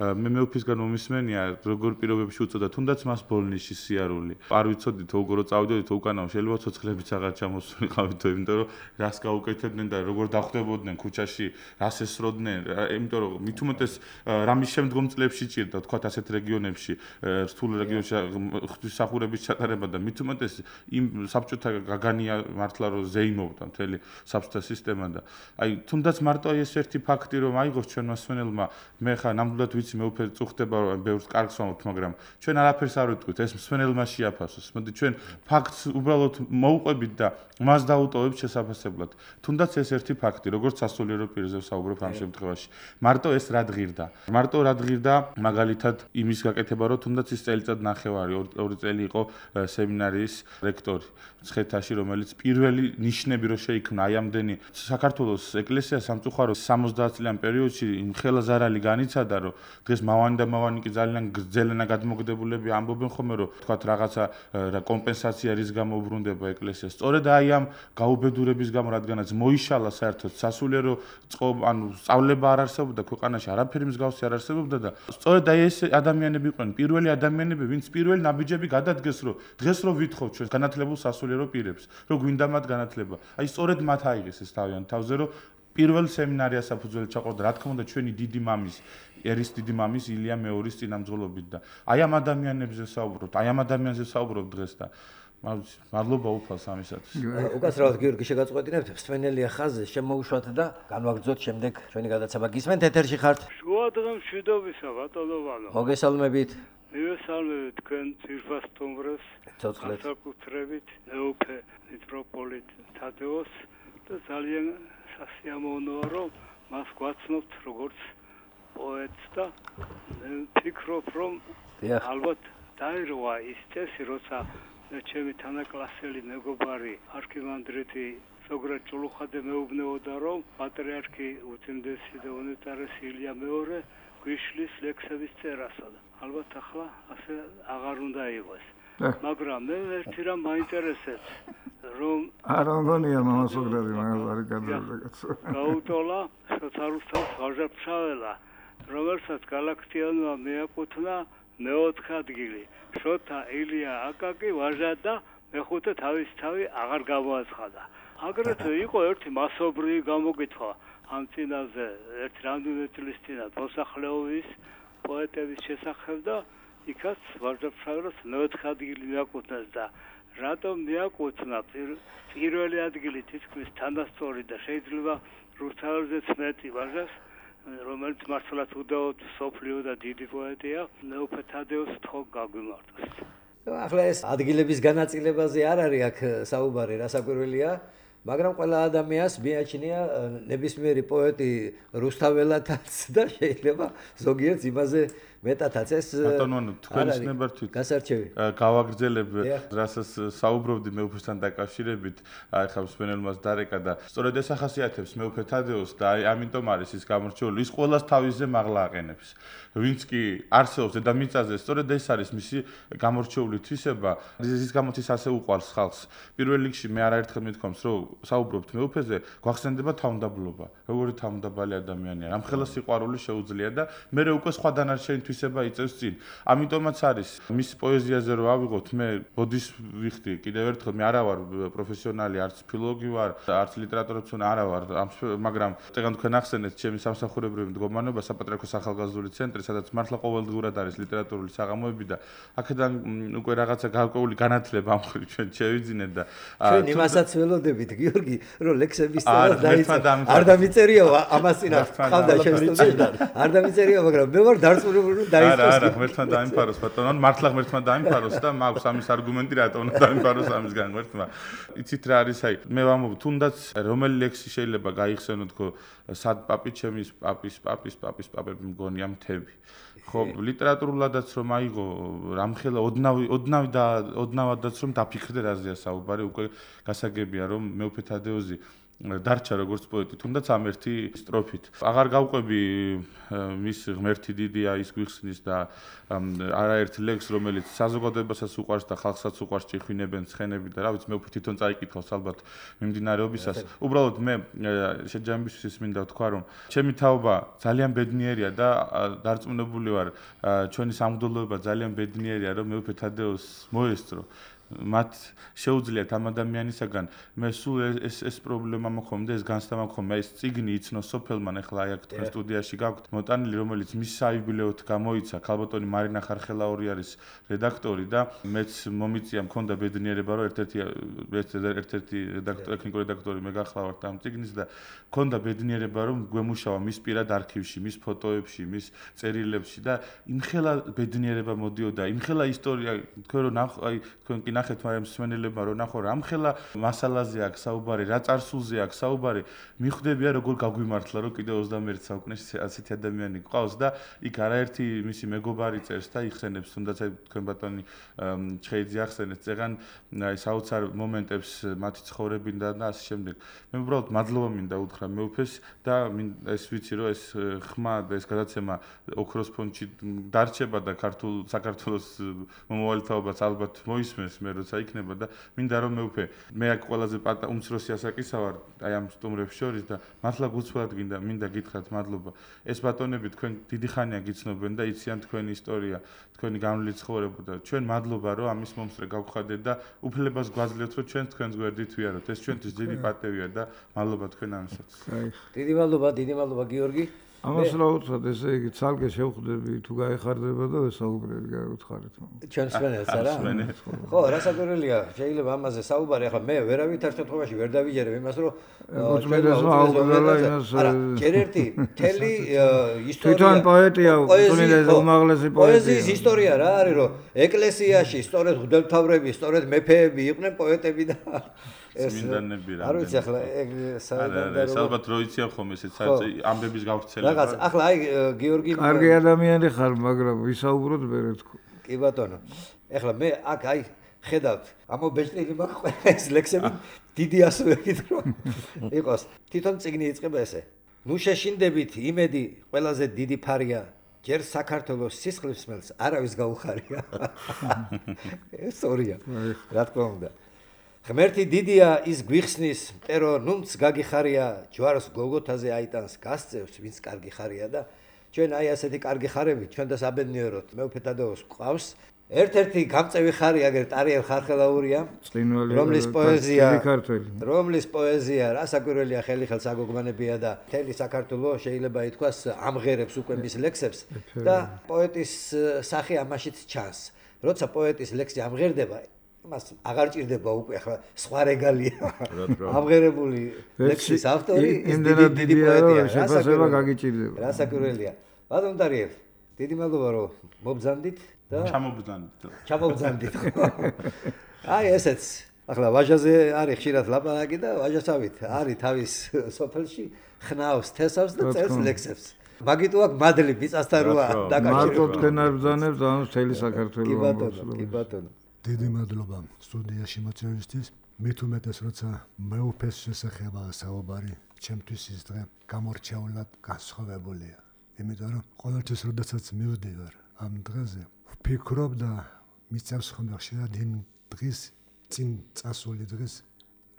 მე მეუფისგან მომისმენია როგორ პირობებში უწოდა თუნდაც მას ბოლნისში სიარული. არ ვიცოდით როგორ წავიდოდით უკანავ შეიძლება ცოცხლებიც აღარ ჩამოსულიყავით, იმიტომ რომ რას გაუკეთებდნენ და როგორ დახვდებოდნენ ქუჩაში, რას ესროდნენ, იმიტომ რომ მით უმეტეს რამის შემდგომ წლებში ჭირდა თქვათ ასეთ რეგიონებში, რთულ რეგიონებში ღვთისმსახურების ჩატარება და მით უმეტეს იმ საბჭოთა გაგანია მართლა რომ ზეიმობდა მთელი საბჭოთა სისტემა და აი თუნდაც მარტო ეს ერთი ფაქტი რომ აიღოს ჩვენ მასვენელმა მე ხა ნამდვილად ვიცი მეუფე წუხდება რომ ბევრს კარგს ვამბობთ მაგრამ ჩვენ არაფერს არ ვიტყვით ეს მსვენელმა შეაფასოს მოდი ჩვენ ფაქტს უბრალოდ მოვუყვებით და მას დაუტოვებთ შესაფასებლად თუნდაც ეს ერთი ფაქტი როგორც სასულიერო პირზე ვსაუბრობ ამ შემთხვევაში მარტო ეს რა დღირდა მაგალითად იმის გაკეთება რომ თუნდაც ის წელიწად ნახევარი 2 წელი იყო სემინარიის რექტორი მცხეთაში, რომელიც პირველი ნიშნები რო შეიქმნა აი ამდენი საქართველოს ეკლესია სამწუხაროდ 70 წლიან პერიოდში იმხელა ზარალი განიცადა, რომ დღეს მავანი და მავანი კი ძალიან გრძელენა გადმოგდებულები ამბობენ ხოლმე, რომ თქვათ რაღაცა კომპენსაცია რის გამო უბრუნდება ეკლესიას. სწორედ აი ამ გაუბედურების გამო, რადგანაც მოიშალა საერთოდ სასულიერო ანუ სწავლება არ არსებობდა ქვეყანაში, არაფერი მსგავსი არ არსებობდა და სწორედ აი ეს ადამიანები იყვნენ პირველი ადამიანები, ვინც პირველი ნაბიჯები გადადგეს, რომ დღეს რო ვითხოვთ ჩვენ განათლებულ სასულიერო პირებს, რომ გვინდა მათ განათლება. აი სწორედ მათ აიღეს ეს თავიანთ თავზე, რომ პირველ სემინარიას საფუძველი ჩაყოლდა, რა თქმა უნდა, ჩვენი დიდი მამის, ერის დიდი მამის ილია მეორის წინამძღოლობით და აი ამ ადამიანებზე საუბრობთ, აი ამ ადამიანზე საუბრობ დღეს და მადლობა უფალს ამისათვის. უკაცრავად გიორგი შეგაწყვეტინებთ, მსმენელია ხაზზე, შემოუშვათ და განვაგრძოთ შემდეგ ჩვენი გადაცემა. გისმენთ ეთერში ხართ? შუა დღეს მშვიდობისა ბატონოვანო. მოგესალმებით. მივესალმებით თქვენ ძირფას სტუმრებს, განსაკუთრებით მეუფე მიტროპოლიტ თადეოს და ძალიან სასიამოვნოა, რომ მას გვაცნობთ როგორც პოეტს და ვფიქრობ, რომ ალბათ დაირღვა ის წესი, როცა ჩემი თანაკლასელი მეგობარი არქიმანდრიტი ზოგრად ჭულუხადე მეუბნეოდა, რომ პატრიარქი უწმინდესი და უნეტარესი ილია მეორე გვიშლის ლექსების წერასა და ალბათ ახლა ასე აღარ უნდა იყოს. მაგრამ მე ერთი რამ მაინტერესებს, რომ არა მგონია მამასოგრადი მაგას არის გადაგაცო. გაუტოლა სოციალისტებს ვაჟაფშაველა, რომელსაც გალაქტიონმა მეაკუთვნა მეოთხე ადგილი. შოთა ილია აკაკი ვაჟა და მეხუთე თავისთავი აღარ გამოაცხადა. აგრეთვე იყო ერთი მასობრივი გამოგითხვა ამ წინაზე ერთ რამდენიმე წლის წინათ მოსახლეობის პოეტების შესახებ და იქაც ვაჟაფშაველას მეოთხე ადგილი მიაკუთვნეს და რატომ მიაკუთვნა პირველი ადგილი თითქმის თანასწორი და შეიძლება რუსთაველზეც მეტი ვაჟას, რომელიც მართლაც უდაოდ სოფლიო და დიდი პოეტია, მეუფე თადეოს თქო გაგვიმართოს. ახლა ეს ადგილების განაწილებაზე არ არის აქ საუბარი, რასაკვირველია, მაგრამ ყველა ადამიანს მიაჩნია ნებისმიერი პოეტი რუსთაველათაც და შეიძლება ზოგიერთს იმაზე მეტათაც ეს ბატონო თქვენის ნებართვით გასარჩევი გავაგრძელებ რასაც საუბრობდი მეუფესთან დაკავშირებით, აი ხა მსმენელმაც დარეკა და სწორედ ეს ახასიათებს მეუფე თადეოს და აი ამიტომ არის ის გამორჩეული, ის ყოველას თავისზე მაღლა აყენებს. ვინც კი არსებობს დედამიწაზე, სწორედ ეს არის მისი გამორჩეული თვისება, ის გამოც ის ასე უყვარს ხალხს. პირველ რიგში მე არაერთხელ მithქვამს, რომ საუბრობთ მეუფეზე, გვახსენდება თავმდაბლობა, როგორი თავმდაბალი ადამიანია, რამხელა სიყვარული შეუძლია და მე უკვე სხვა დანარჩენი თვისება იწევს წინ. ამიტომაც არის მის პოეზიაზე რო ავიღოთ, მე ბოდის ვიხდი, კიდევ ერთხელ მე არა ვარ პროფესიონალი, არც ფილოლოგი ვარ, არც ლიტერატურაცონა არა ვარ, მაგრამ წეგან თქვენ ახსენეთ ჩემი სამსახურებრივი მდგომარეობა საპატრიარქოს ახალგაზრდული ცენტრი, სადაც მართლა ყოველდღურად არის ლიტერატურული საღამოები და აქედან უკვე რაღაცა გარკვეული განათლება ამ ხრი ჩვენ შევიძინეთ და ჩვენ იმასაც ველოდებით გიორგი, რომ ლექსების წერა დაიწყო. არ დამიწერია ამას წინათ ხავდა შევსწავლე. არ დამიწერია, მაგრამ მე ვარ დარწმუნებული რომ დაიწყოს. არა, ღმერთმა დაიმფაროს ბატონო, მართლა ღმერთმა დაიმფაროს და მაქვს ამის არგუმენტი რატომ უნდა დაიმფაროს ამისგან ღმერთმა. იცით რა არის აი, მე ვამბობ, თუნდაც რომელი ლექსი შეიძლება გაიხსენო თქო, სად პაპი ჩემის პაპები მგონია მთები. ხო, ლიტერატურულადაც რომ აიღო, რამხელა ოდნავადაც რომ დაფიქრდე რაზეა საუბარი, უკვე გასაგებია რომ მეუფე თადეოზი დარჩა როგორც პოეტი, თუნდაც ამ ერთი სტროფით. აღარ გავყვები მის ღმერთი დიდია ის გვიხსნის და არაერთ ლექს, რომელიც საზოგადოებასაც უყვარს და ხალხსაც უყვარს, ჭიხვინებენ ცხენები და რა ვიცი, მე უფრო თვითონ წაიკითხავს ალბათ მიმდინარეობისას. უბრალოდ მე შეჯამებისთვის ის მინდა ვთქვა, რომ ჩემი თაობა ძალიან ბედნიერია და დარწმუნებული ვარ, ჩვენი სამღვდელოება ძალიან ბედნიერია, რომ მეუფე თადეოს მოესწრო. მათ შეუძლიათ ამ ადამიანისაგან მე სულ ეს პრობლემა მქონდა, ეს განცდა მქონდა, ეს წიგნი იცნო სოფელმან, ახლა აი აქ თქვენ სტუდიაში გაქვთ მოტანილი, რომელიც მის საიუბილეოდ გამოიცა, ქალბატონი მარინა ხარხელაური არის რედაქტორი და მეც მომიწია მქონდა ბედნიერება, რომ ერთ-ერთი ტექნიკური რედაქტორი მე გახლავართ ამ წიგნის და მქონდა ბედნიერება, რომ გვემუშავა მის პირად არქივში, მის ფოტოებში, მის წერილებში და იმხელა ბედნიერება მოდიოდა, იმხელა ისტორია, თქვენ რომ აი თქვენ კი ნახეთ მაგრამ მსმენელებმა რომ ნახო რამხელა მასალაზე აქვს საუბარი, რა წარსულზე აქვს საუბარი, მიხვდებია როგორ გაგვიმართლა რომ კიდე 21 საუკუნეში ასეთი ადამიანი გვყავს და იქ არაერთი მისი მეგობარი წერს და იხსენებს თუნდაც აი თქვენ ბატონი ჩხეიძე ახსენეთ წეგან აი საოცარ მომენტებს მათი ცხოვრებიდან და ასე შემდეგ. მე უბრალოდ მადლობა მინდა უთხრა მეუფეს და ეს ვიცი რომ ეს ხმა და ეს გადაცემა ოქროს ფონდში დარჩება და საქართველოს მომავალთაობას ალბათ მოისმენს მე როცა იქნება და მინდა რომ მეუფე მე აქ ყველაზე უმცროსი ასაკისა ვარ აი ამ სტუმრებს შორის და მართლა გუცვლად მინდა გითხრათ მადლობა. ეს ბატონები თქვენ დიდი ხანია გიცნობენ და იციან თქვენი ისტორია, თქვენი გამლილი ცხოვრება და ჩვენ მადლობა რომ ამის მომსწრე გავხადეთ და უფლებას გვაძლევთ რომ ჩვენ თქვენს გვერდით ვიაროთ. ეს ჩვენთვის დიდი პატევია და მადლობა თქვენ ამისაც. დიდი მადლობა გიორგი. ამას რა უთხრათ, ესე იგი ცალკე შევხვდები თუ გაეხარდება და ვესაუბრები გაუთხარით. ჩვენ მსმენელს არა? ხო, რასაკვირველია, შეიძლება ამაზე საუბარი, ახლა მე ვერავითარ შემთხვევაში ვერ დავიჯერებ იმას, რომ არა, ჯერ ერთი მთელი ისტორია. თვითონ პოეტია, თუნდაც უმაღლესი პოეტია. პოეზიის ისტორია რა არის, რომ ეკლესიაში სწორედ მღვდელმთავრები, სწორედ მეფეები იყვნენ პოეტები და წმინდანები რა. არ ვიცი ახლა ეგ საერთოდ ალბათ რო იციან ხოლმე ესეც ამბების გავრცელება. რაღაც ახლა აი გიორგი კარგი ადამიანი ხარ, მაგრამ ვისაუბროთ ბერეთქო. კი ბატონო. ახლა მე აქ აი ხედავთ, ამობეჭდილი მაქვს ეს ლექსები დიდი ასოებით რომ იყოს. თვითონ წიგნი იწყება ესე. ნუ შეშინდებით იმედი ყველაზე დიდი ფარია. ჯერ საქართველოს სისხლის სმელს არავის გაუხარია. ეს სწორია. რა თქმა უნდა. ღმერთი დიდია ის გვიხსნის, მტერო ნუნც გაგიხარია, ჯვარს გოლგოთაზე აიტანს, გასწევს, ვინც კარგი ხარია და ჩვენ აი ასეთი კარგი ხარები ჩვენ და საბედნიეროდ მეუფე თადეოს გვყავს. ერთ-ერთი გამწევი ხარი აგერ ტარიელ ხარხელაურია, რომლის პოეზია რასაკვირველია ხელს აგოგმანებია და მთელი საქართველო შეიძლება ითქვას ამღერებს უკვე მის ლექსებს და პოეტის სახე ამაშიც ჩანს. როცა პოეტის ლექსი ამღერდება მას აღარ ჭირდება უკვე ახლა სხვა რეგალია. ამღერებული ლექსის ავტორი დიდი პოეტია, შეფასება გაგიჭირდება. რასაკვირველია. ბატონ ტარიელ, დიდი მადლობა რომ მობრძანდით და ჩამობრძანდით. აი ესეც. ახლა ვაჟაზე არის ხშირად ლაპარაკი და ვაჟასავით არის თავის სოფელში ხნავს, თესავს და წერს ლექსებს. მაგიტო აქ მადლი მიწასთან როა დაკავშირებული. მარტო თქვენ არ ბრძანებთ და მთელი საქართველო ამბობს. კი ბატონო. დიდი მადლობა სტუდიაში მოწვევისთვის. მით უმეტეს როცა მეუფეს შესახება საუბარი, ჩემთვის ის დღე გამორჩეულად განსხვავებულია. იმიტომ რომ ყოველთვის როდესაც მივდივარ ამ დღეზე, ვფიქრობ და მიწევს ხოლმე ხშირად იმ დღის წინ წასული დღის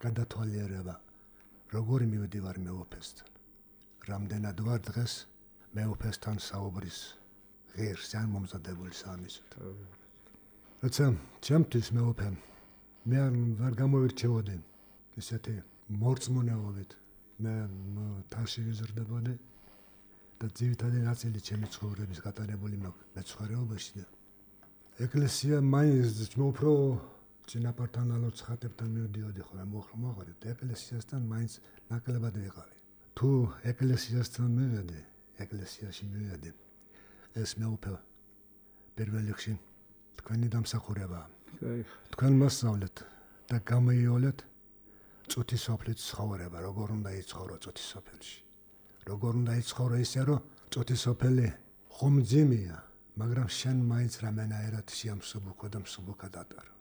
გადათვალიერება, როგორი მივდივარ მეუფესთან. რამდენად ვარ დღეს მეუფესთან საუბრის ღირს ან მომზადებული სამისოთ. როცა ჩემთვის მეუფე მე არ გამოვირჩევოდი ისეთი მორწმუნეობით, მე თაში ვიზრდებოდი და ძირითადი ნაწილი ჩემი ცხოვრების გატარებული მეცხოვრეობაში და ეკლესია მაინც უფრო წინაპართან ალოცხატებთან მივდიოდი ხოლმე მოხარეთ ეკლესიასთან მაინც ნაკლებად ვიყავი. თუ ეკლესიასთან მივედი, ეკლესიაში მივედი, ეს მეუფე პირველ რიგში თქვენი დამსახურებაა. თქვენ მოსწავლეთ და გამოიოლეთ წუთის სოფლის ცხოვრება, როგორ უნდა იცხოვრო წუთის სოფელში. როგორ უნდა იცხოვრო ისე, რომ წუთის სოფელი ხომძიმია, მაგრამ შენ მაინც რამენაერად შეამსუბუქო და მსუბუქად ატარო.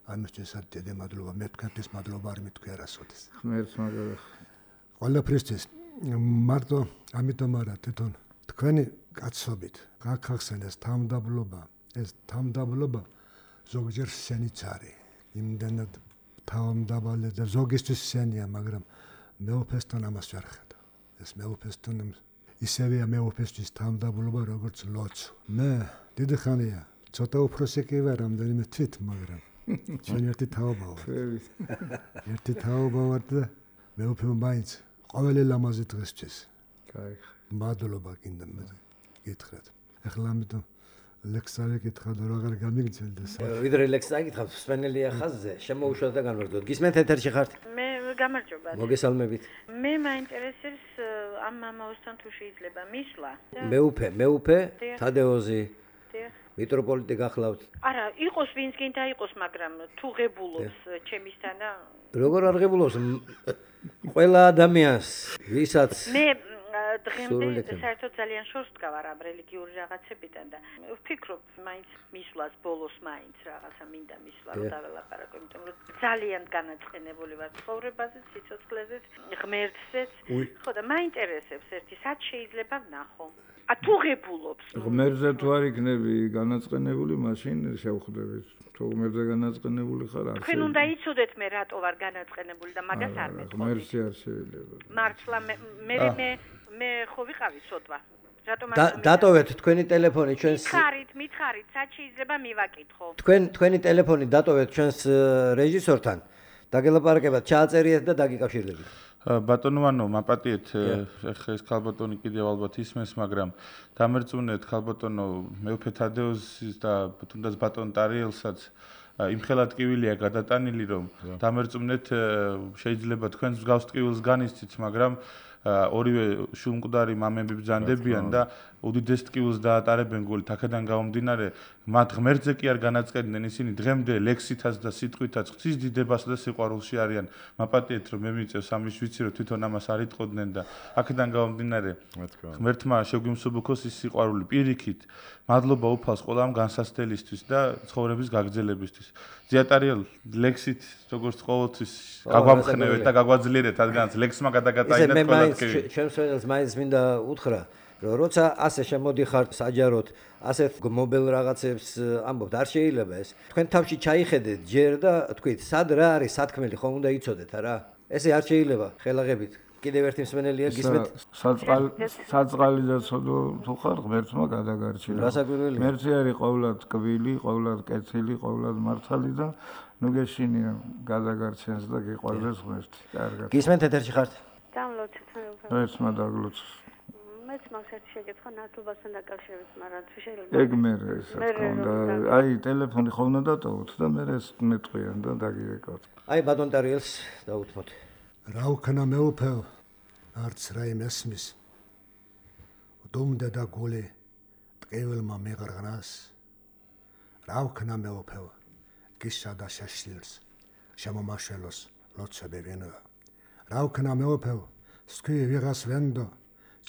ამისთვის დიდი მადლობა, მე თქვენთვის მადლობა არ მითქვი არასოდეს. ღმერთს მაგარი. ყველაფრისთვის მარტო ამიტომ არა თვითონ თქვენი კაცობით გაქახსენეს თამდაბლობა. ეს თამდაბლობა ზოგჯერ სენიც არის. იმდენად თამდაბალი და ზოგისთვის სენია, მაგრამ მეუფესთან ამას ვერ ხედავ. ეს მეუფესთან ისევეა მეუფესთვის თამდაბლობა, როგორც ლოცვა. მე დიდი ხანია, ცოტა უფროსი კი ვარ, რამდენიმე თვით, მაგრამ ჩვენ ერთი თაობა ვართ. ერთი თაობა ვართ და მეუფე მაინც ყოველი ლამაზი დღესთვის. კაი. მადლობა კიდე მე გითხრათ. ახლა ამიტომ ლექსავე გითხრათ რომ აღარ გამიგრძელდეს. ვიდრე ლექსს აგითხრათ, სვენელია ხაზზე, შემოუშვათ და განვარდოთ. გისმენთ ეთერში ხართ? მე გამარჯობა. მოგესალმებით. მე მაინტერესებს ამ მამაოსთან თუ შეიძლება მისვლა. მეუფე, თადეოზი. მიტროპოლიტი გახლავთ. არა, იყოს ვინც გინდა იყოს, მაგრამ თუ ღებულობს ჩემისთან და როგორ არ ღებულობს ყველა ადამიანს, ვისაც მე დღემდე საერთოდ ძალიან შორს ვდგავარ ამ რელიგიური რაღაცებიდან და ვფიქრობ მაინც მისვლას ბოლოს მაინც რაღაცა მინდა მისვლა რომ დაველაპარაკო, იმიტომ რომ ძალიან განაწყენებული ვარ ცხოვრებაზე, სიცოცხლეზეც, ღმერთზეც. ხო და მაინტერესებს ერთი სად შეიძლება ვნახო. თუ ღებულობს. ღმერთზე თუ არ იქნები განაწყენებული, მაშინ შევხვდებით. თუ ღმერთზე განაწყენებული ხარ, არ თქვენ უნდა იცოდეთ მე რატო ვარ განაწყენებული და მაგას არ მეტყობ. ღმერთი არ შეიძლება. მართლა მე ხო ვიყავი ცოტვა. რატომ დატოვეთ თქვენი ტელეფონი ჩვენს მითხარით, სად შეიძლება მივაკითხო. თქვენი ტელეფონი დატოვეთ ჩვენს რეჟისორთან. დაგელაპარაკებათ, ჩააწერიეთ და დაგიკავშირდებით. ბატონო, მაპატიეთ, ეხლა ეს ქალბატონი კიდევ ალბათ ისმენს, მაგრამ დამერწმუნეთ ქალბატონო მეუფე თადეუსის და თუნდაც ბატონ ტარიელსაც იმხელა ტკივილია გადატანილი, რომ დამერწმუნეთ შეიძლება თქვენს მსგავს ტკივილს განიცდით, მაგრამ ორივე შულმკვდარი მამები ბრძანდებიან და უდიდეს ტკივილს დაატარებენ გულით. აქედან გამომდინარე, მათ ღმერთზე კი არ განაწყენდნენ, ისინი დღემდე ლექსითაც და სიტყვითაც ღვთის დიდებასა და სიყვარულში არიან. მაპატიეთ, რომ მე მიწევს ამის ვიცი, რომ თვითონ ამას არ იტყოდნენ და აქედან გამომდინარე, ღმერთმა შეგვიმსუბუქოს ის სიყვარული პირიქით. მადლობა უფალს ყველა ამ განსასწრებისთვის და ცხოვრების გაგრძელებისთვის. ზიატარიელ ლექსით როგორც ყოველთვის გაგვამხნევეთ და გაგვაძლიერეთ, რადგანაც ლექსმა გადაგატაინათ ყველა ტკივილი. ჩემს მაინც მინდა უთხრა, რომ როცა ასე შემოდიხართ საჯაროდ, ასეთ მობილ რაღაცებს ამბობთ, არ შეიძლება ეს. თქვენ თავში ჩაიხედეთ ჯერ და თქვით, სად რა არის სათქმელი, ხომ უნდა იცოდეთ რა. ესე არ შეიძლება ხელაღებით. კიდევ ერთი მსმენელია გისმენთ. საწყალი და ცოდო თუ ხარ ღმერთმა გადაგარჩინა. რასაკვირველია. ღმერთი არის ყოვლად ტკბილი, ყოვლად კეთილი, ყოვლად მართალი და ნუ გეშინია გადაგარჩენს და გიყვარდეს ღმერთი. კარგად. გისმენთ ეთერში ხართ? დამლოცეთ მე. ღმერთმა დაგლოცოს. მეც მაქვს ერთი შეკითხვა ნათლობასთან დაკავშირებით, მაგრამ თუ შეიძლება. ეგ მე ეს თქონდა. აი ტელეფონი ხომ უნდა დატოვოთ და მე ეს მეტყვიან და დაგიეკავთ. აი ბატონ ტარიელს დაუთმოთ. რა ვქნა მეუფეო, არც რაიმე ესმის. დუმდა და გული ტყეველმა მეღრღნას. რა ვქნა მეუფეო, გისა და შეშლილს, შემომაშველოს ლოცვები ვენვა. რა ვქნა მეუფეო, სქვი ვიღას ვენდო,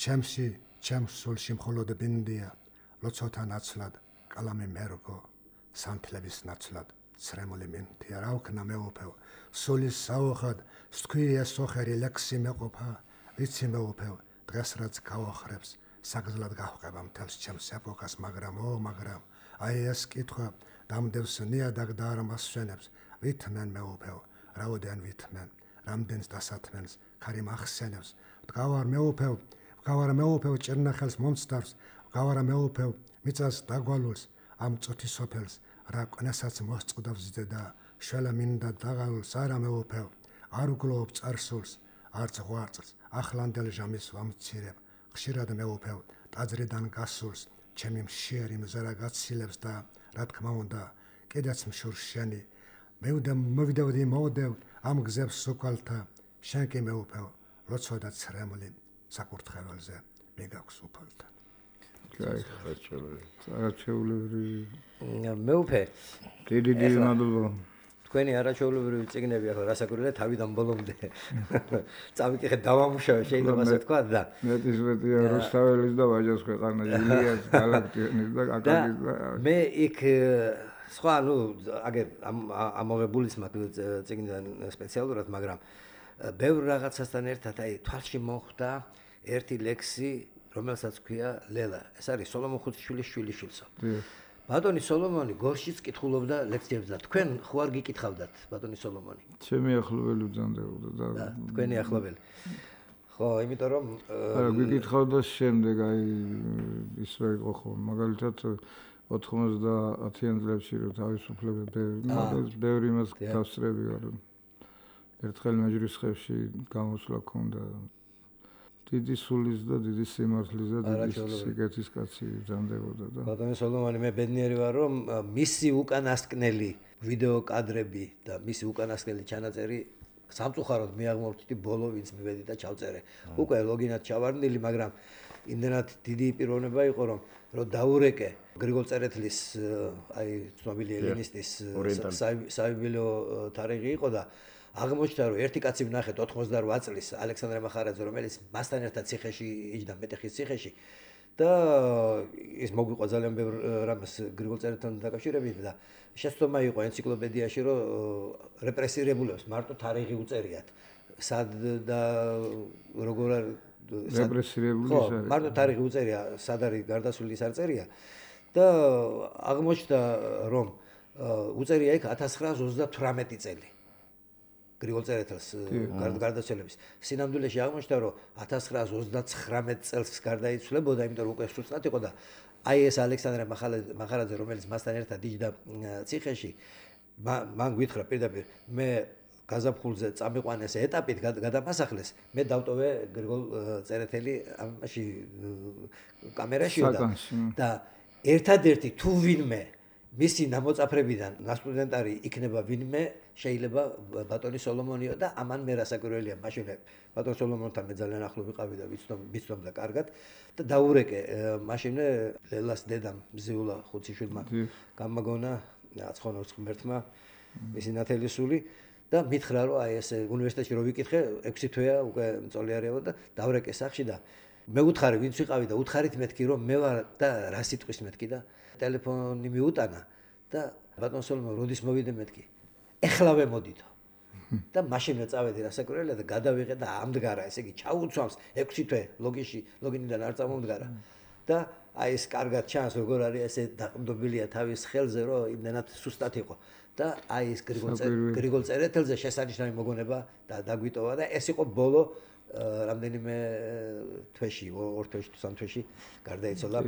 ჩემში, ჩემს სულში მხოლოდ ბინდია, ლოცოთა ნაცვლად, კალამი მერგო, სანთლების ნაცვლად, ცრემული მინთია. რა ვქნა მეუფეო, სულის საოხად, სქვი ეს ოხერი ლექსი მეყოფა, ვიცი მეუფეო, დღეს რაც გავახრებს, საგზლად გავყება მთელს ჩემს ეპოქას, მაგრამ აი ეს კითხვა დამდევს ნიადაგ და არ მასვენებს. ვითმენ მეუფეო, რაოდენ ვითმენ, რამდენს დასათმენს, ქარი მახსენებს. ვდგავარ მეუფეო, ჭერნახელს მომცდარს, ვდგავარ მეუფეო, მიწას დაგვალულს, ამ წოთის სოფელს, რა ყნასაც მოსწყდავს ზედა, შველა მინდა დაღალულს, არა მეუფეო, არ უგლოობ წარსულს, არც ღვაწლს, ახლანდელ ჟამის ვამცირებ, ხშირად მეუფეო, ტაძრიდან გასულს, ჩემი მშიერი მზერა გაცილებს და რა თქმა უნდა, კიდეც მშურს შენი, მოვიდევდი მოვდევ ამ გზებს სოკვალთა, შენ კი მეუფეო, ლოცვა და ცრემლი საკურთხეველზე მიგაქვს უფალთან. არაჩვეულებრივი მეუფე, დიდი მადლობა. თქვენი არაჩვეულებრივი წიგნები ახლა რასაკვირველია თავიდან ბოლომდე. წავიკითხეთ, დავამუშავე, შეიძლება ასე თქვა და მეტისმეტია რუსთაველის და ვაჟას ქვეყანა, ილიას, გალაქტიონის და აკაკის და მე იქ სხვა, აგერ ამოღებულის მაქვს წიგნიდან სპეციალურად, მაგრამ ბევრ რაღაცასთან ერთად აი თვალში მოხვდა ერთი ლექსი, რომელსაც ქვია ლელა. ეს არის სოლომონ ხუთშვილის შვილიშვილსო. ბატონი სოლომონი გორშიც კითხულობდა ლექციებს და თქვენ ხო არ გიკითხავდათ ბატონი სოლომონი? ჩემი ახლობელი ბრძანდებოდა და თქვენი ახლობელი. ხო, იმიტომ რომ არა გიკითხავდა შემდეგ აი ის რა იყო ხო, მაგალითად 90-იან წლებში რო თავისუფლება ბევრი იმას გავსწრები ვარ. ერთხელ მეჯრისხევში გამოსვლა ქონდა. დიდი სულის და დიდი სიმართლის და დიდი სიკეთის კაცი ბრძანდებოდა და ბატონი სოლომონი, მე ბედნიერი ვარ, რომ მისი უკანასკნელი ვიდეო კადრები და მისი უკანასკნელი ჩანაწერი სამწუხაროდ მიაღმოვთითი ბოლო ვინც მივედი და ჩავწერე. უკვე ლოგინად ჩავარდნილი, მაგრამ იმდენად დიდი პიროვნება იყო, რომ რომ დაურეკე გრიგოლ წერეთლის აი ცნობილი ელინისტის საიუბილეო თარიღი იყო და აღმოჩნდა რომ ერთი კაცი ვნახეთ 88 წლის ალექსანდრე მახარაძე რომელიც მასთან ერთად ციხეში იჯდა მეტეხის ციხეში და ის მოგვიყვა ძალიან ბევრ რამეს გრიგოლ წერეთთან დაკავშირებით და შეცდომა იყო ენციკლოპედიაში რომ რეპრესირებულებს მარტო თარიღი უწერიათ სად და როგორ რეპრესირებული ის არის მარტო თარიღი უწერია სად არის გარდაცვლილი ის არ წერია და აღმოჩნდა რომ უწერია იქ 1938 წელი გრიგოლ წერეთელს გარდაცვალების სინამდვილეში აღმოჩნდა რომ 1939 წელს გარდაიცვლებოდა იმიტომ რომ უკვე სუსტად იყო და აი ეს ალექსანდრე მახარაძე რომელიც მასთან ერთად იჯდა ციხეში მან გვითხრა პირდაპირ მე გაზაფხულზე წამიყვანეს ეტაპით გადამასახლეს მე დავტოვე გრიგოლ წერეთელი ამაში კამერაში და ერთადერთი თუ ვინმე მისი ნამოწაფრებიდან ნასტუდენტარი იქნება ვინმე შეიძლება ბატონი სოლომონიო და ამან მე რასაკვირველია მაშინ ბატონ სოლომონთან მე ძალიან ახლო ვიყავი და ვიცნობ კარგად და დაურეკე მაშინე ლელას დედამ მზიულა ხუციშვილმა გამაგონა აცხონოს ღმერთმა მისი ნათელისული და მითხრა რომ აი ეს უნივერსიტეტში რო ვიკითხე 6 თვეა უკვე მწოლიარეო და დავრეკე სახში და მე უთხარი ვინც ვიყავი და უთხარით მეთქი რომ მე ვარ და რა სიტყვის მეთქი და ტელეფონი მიუტანა და ბატონ სოლომონ როდის მოვიდე მეთქი ეხლავე მოდიდო და მაშინვე წავედი რასაკვირველია და გადავიღე და ამდგარა ესე იგი ჩაუცვამს 6 თვე ლოგინიდან არ წამომდგარა და აი ეს კარგად ჩანს როგორ არის ესე დაყრდნობილია თავის ხელზე რომ იმდენად სუსტად იყო და აი ეს გრიგოლ წერეთელზე შესანიშნავი მოგონება და დაგვიტოვა და ეს იყო ბოლო რამდენიმე თვეში 2 თვეში თუ 3 თვეში გარდაიცვალა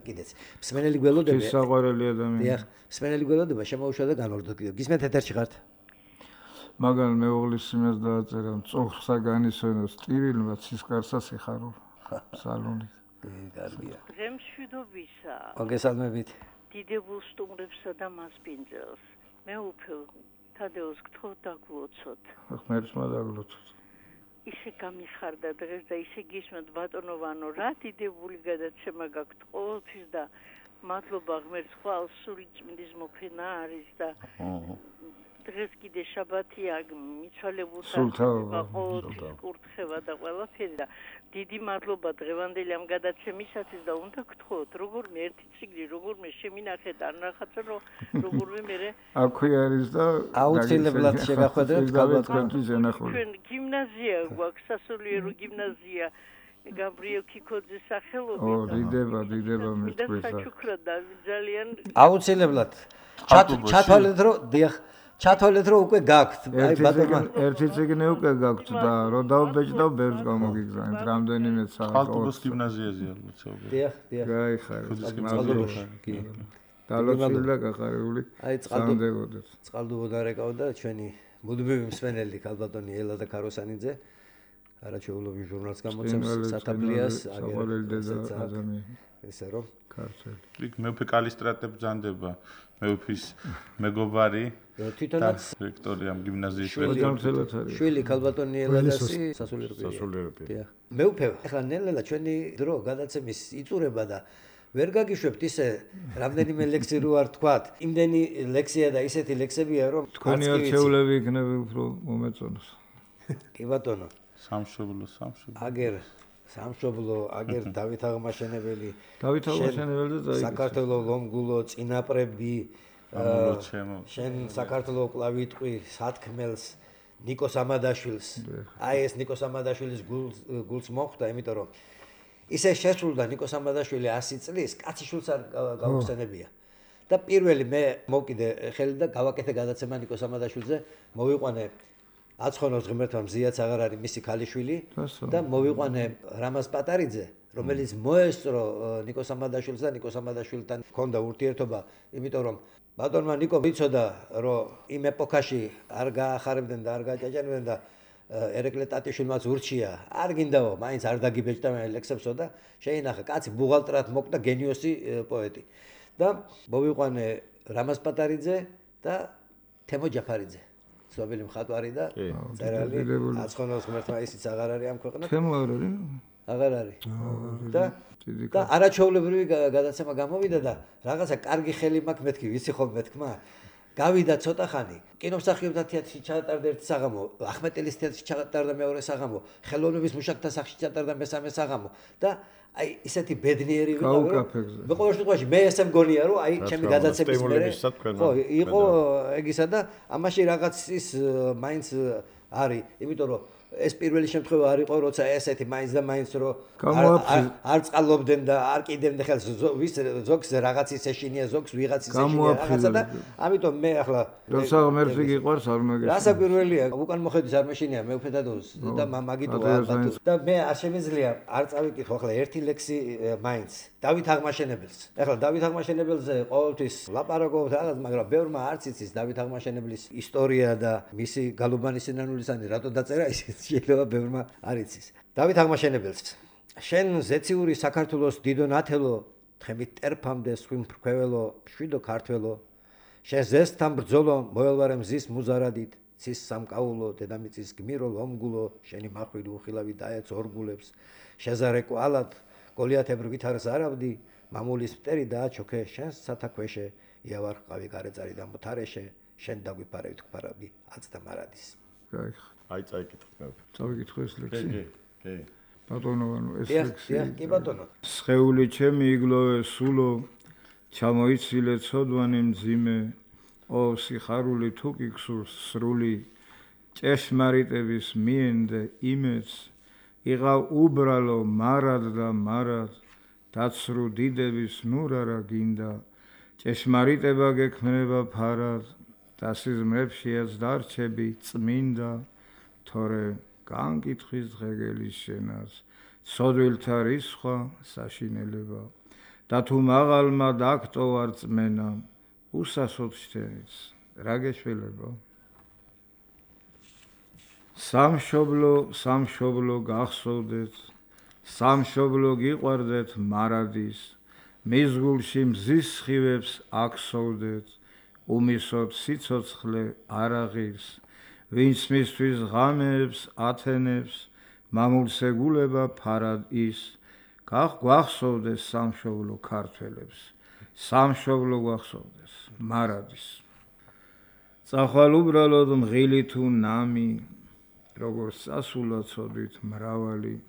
კიდეც მსმენელი გველოდება ის საყვარელი ადამიანი დიახ მსმენელი გველოდება შემოუშვა და განვარდო გისმენთ ეთერში ხართ მაგალ მეუღლის იმას დააწერა მწუხრსა განისვენოს ტირილმა ცისკარსას იხარო სალონით კარგია ღემშვიდობისა მოგესალმებით დიდებულ სტუმრებსა და მასპინძელს მე უფელ თადეოს გთხოვ დაგლოცოთ ღმერთმა დაგლოცოთ ისე გამიხარდა დღეს და ისე გისმენთ ბატონოვანო რა დიდებული გადაცემა გაქვთ ყოველთვის და მადლობა ღმერთს ხვალ სული წმინდის მოფენა არის და დღეს კიდე შაბათია მიცვალებულთა ყოველთვის კურთხევა და ყველაფერი და დიდი მადლობა დღევანდელი ამ გადაცემისათვის და უნდა გთხოვოთ როგორმე ერთი წიგნი როგორმე შემინახეთ ან რაღაცა როგორმე მე აქვე არის და აუცილებლად შეგახვედრებთ გავეთქვენთვის ენახული ჩვენ გიმნაზია გვაქვს სასულიერო გიმნაზია გაბრიელ ქიქოძის სახელობით დიდება მეთქვეса საჩუქრად ძალიან აუცილებლად ჩათვალეთ რომ დიახ ჩათვალეთ რომ უკვე გაქვთ აი ბატონო ერთი წიგნი უკვე გაქვთ და რო დავბეჭდავ ბევრს გამოგიგზავნით რამდენიმე ხალხის გიმნაზიაზეა მოცავდა დიახ მადლობა კი დალოცული და გახარებული სამდევოდეთ წყალდუბოდა რეკავდა ჩვენი მუდმივი მსმენელი ქალბატონი ელა და კაროსანიძე არაჩვეულობი ჟურნალს გამოცემს სათაბლიას ადამიანი ესე რომ ქართველი იქ მეუფე კალისტრატე ბრძანდება მეუფის მეგობარი თვითონაც რექტორი ამ გიმნაზიის შვილი ქალბატონი ელადასი სასულიერო მეუფე ახლა ნელ-ნელა ჩვენი დრო გადაცემის იწურება და ვერ გაგიშვებთ ისე რამდენიმე ლექსი რო არ თქვათ იმდენი ლექსია და ისეთი ლექსებია რომ თქვენი არჩეულები იქნება უფრო მომეწონოს კი ბატონო სამშობლო აგერ დავით აღმაშენებელი და საქართველოს ლომგულო წინაპრები შენ საქართველოს კლავიტყვი სათქმელს ნიკოს ამადაშვილს აი ეს ნიკოს ამადაშვილის გულს მოხვდა იმიტომ რომ ისე შესრულდა ნიკოს ამადაშვილი 100 წლის კაციშვილს არ გავხსენებია და პირველი მე მოვკიდე ხელი და გავაკეთე გადაცემა ნიკოს ამადაშვილზე მოვიყვანე აცხონოს ღმერთმა მზიაც აღარ არის მისი ქალიშვილი და მოვიყვანე რამაზ პატარიძე რომელიც მოესწრო ნიკოს ამადაშვილს და ნიკოს ამადაშვილთან ჰქონდა ურთიერთობა იმიტომ რომ ბატონმა ნიკო ვიცოდა რომ იმ ეპოქაში არ გაახარებდნენ და არ გაჭაჭანებდნენ და ერეკლე ტატიშვილმაც ურჩია არ გინდაო მაინც არ დაგიბეჭდა მე ლექსებსო და შეინახა კაცი ბუღალტრად მოკვდა გენიოსი პოეტი და მოვიყვანე რამაზ პატარიძე და თემო ჯაფარიძე ცნობილი მხატვარი და წერალი აცხონოს ღმერთმა ისიც აღარ არის ამ ქვეყნად თემო არ არის აღარ არის. და არაჩვეულებრივი გადაცემა გამოვიდა და რაღაცა კარგი ხელი მაქვს მეთქი, ვიცი ხოლმე თქმა. გავიდა ცოტა ხანი, კინომსახიობთა თეატრში ჩაატარდა ერთი საღამო, ახმეტელის თეატრში ჩაატარდა მეორე საღამო, ხელოვნების მუშაკთა სახლში ჩაატარდა მესამე საღამო და აი ისეთი ბედნიერი ვიყავი. მე ყოველ შემთხვევაში მე ესე მგონია რომ აი ჩემი გადაცემის მერე ხო იყო ეგისა და ამაში რაღაც ის მაინც არის, იმიტომ რომ ეს პირველი შემთხვევა არ იყო, როცა ესეთი მაინც და მაინც რომ არ წყალობდნენ და არ კიდევდნენ ხელს ზოგს რაღაცის ეშინია, ზოგს ვიღაცის ეშინია რაღაცა და ამიტომ მე ახლა როცა ღმერთი გიყვარს არ მაგეს. რასაკვირველია, უკან მოხედვის არ მეშინია მე უფედადოს და მაგიტოა ალბათ და მე არ შემიძლია არ წავიკითხო ახლა ერთი ლექსი მაინც დავით აღმაშენებელს. ახლა დავით აღმაშენებელზე ყოველთვის ლაპარაკობთ რაღაც, მაგრამ ბევრმა არც იცის დავით აღმაშენებლის ისტორია და მისი გალუბანის სინანულისანი რატო დაწერა ის შეიძლება ბევრმა არ იცის. დავით აღმაშენებელს შენ ზეციური საქართველოს დიდო ნათელო, თხემით ტერფამდე სხვიმ ფრქვეველო, შვიდო ქართველო, შენ ზესთან ბრძოლო მოელვარე მზის მუზარადით, ცის სამკაულო, დედამიწის გმირო ლომგულო, შენი მახვილი უხილავი დაეც ორგულებს, შეზარე კვალად, გოლიათებრ ვითარს არავდი, მამულის მტერი დააჩოქე, შენს სათაქვეშე, იავარ ყავი გარეწარი და მოთარეშე, შენ დაგვიფარებით გვფარავდი აწდა მარადის. აი წაიკითხე. წავიკითხე ეს ლექსი. კი. ბატონო, ეს ლექსი. კი ბატონო. სხეული ჩემი იგლოვე სულო, ჩამოიცილე ცოდვანი მძიმე, ო სიხარული თუ კი გსურს სრული, ჭეშმარიტების მიენდე იმეც, იღავ უბრალო მარად და მარად, დაცრუ დიდების ნურარა გინდა, ჭეშმარიტება გექმნება ფარად, და სიზმრებშიაც დარჩები წმინდა, თორე განკითხვის დღეგელის შენას, ცოდვილთა რისხვა საშინელება, და თუ მაღალმა დაგტოვარ წმენა, უსასოდ შთენიც, რა გეშველება? სამშობლო გახსოვდეთ, სამშობლო გიყვარდეთ მარადის, მის გულში მზის სხივებს აქსოვდეთ, უმისოთ სიცოცხლე არაღირს, ვინც მისთვის ღამეებს ათენებს, მამულს ეგულება ფარად ის, გვახსოვდეს სამშობლო ქართველებს, სამშობლო გვახსოვდეს მარადის. წახვალ უბრალოდ მღილი თუ ნამი, როგორც სასულა ცოდვით მრავალი,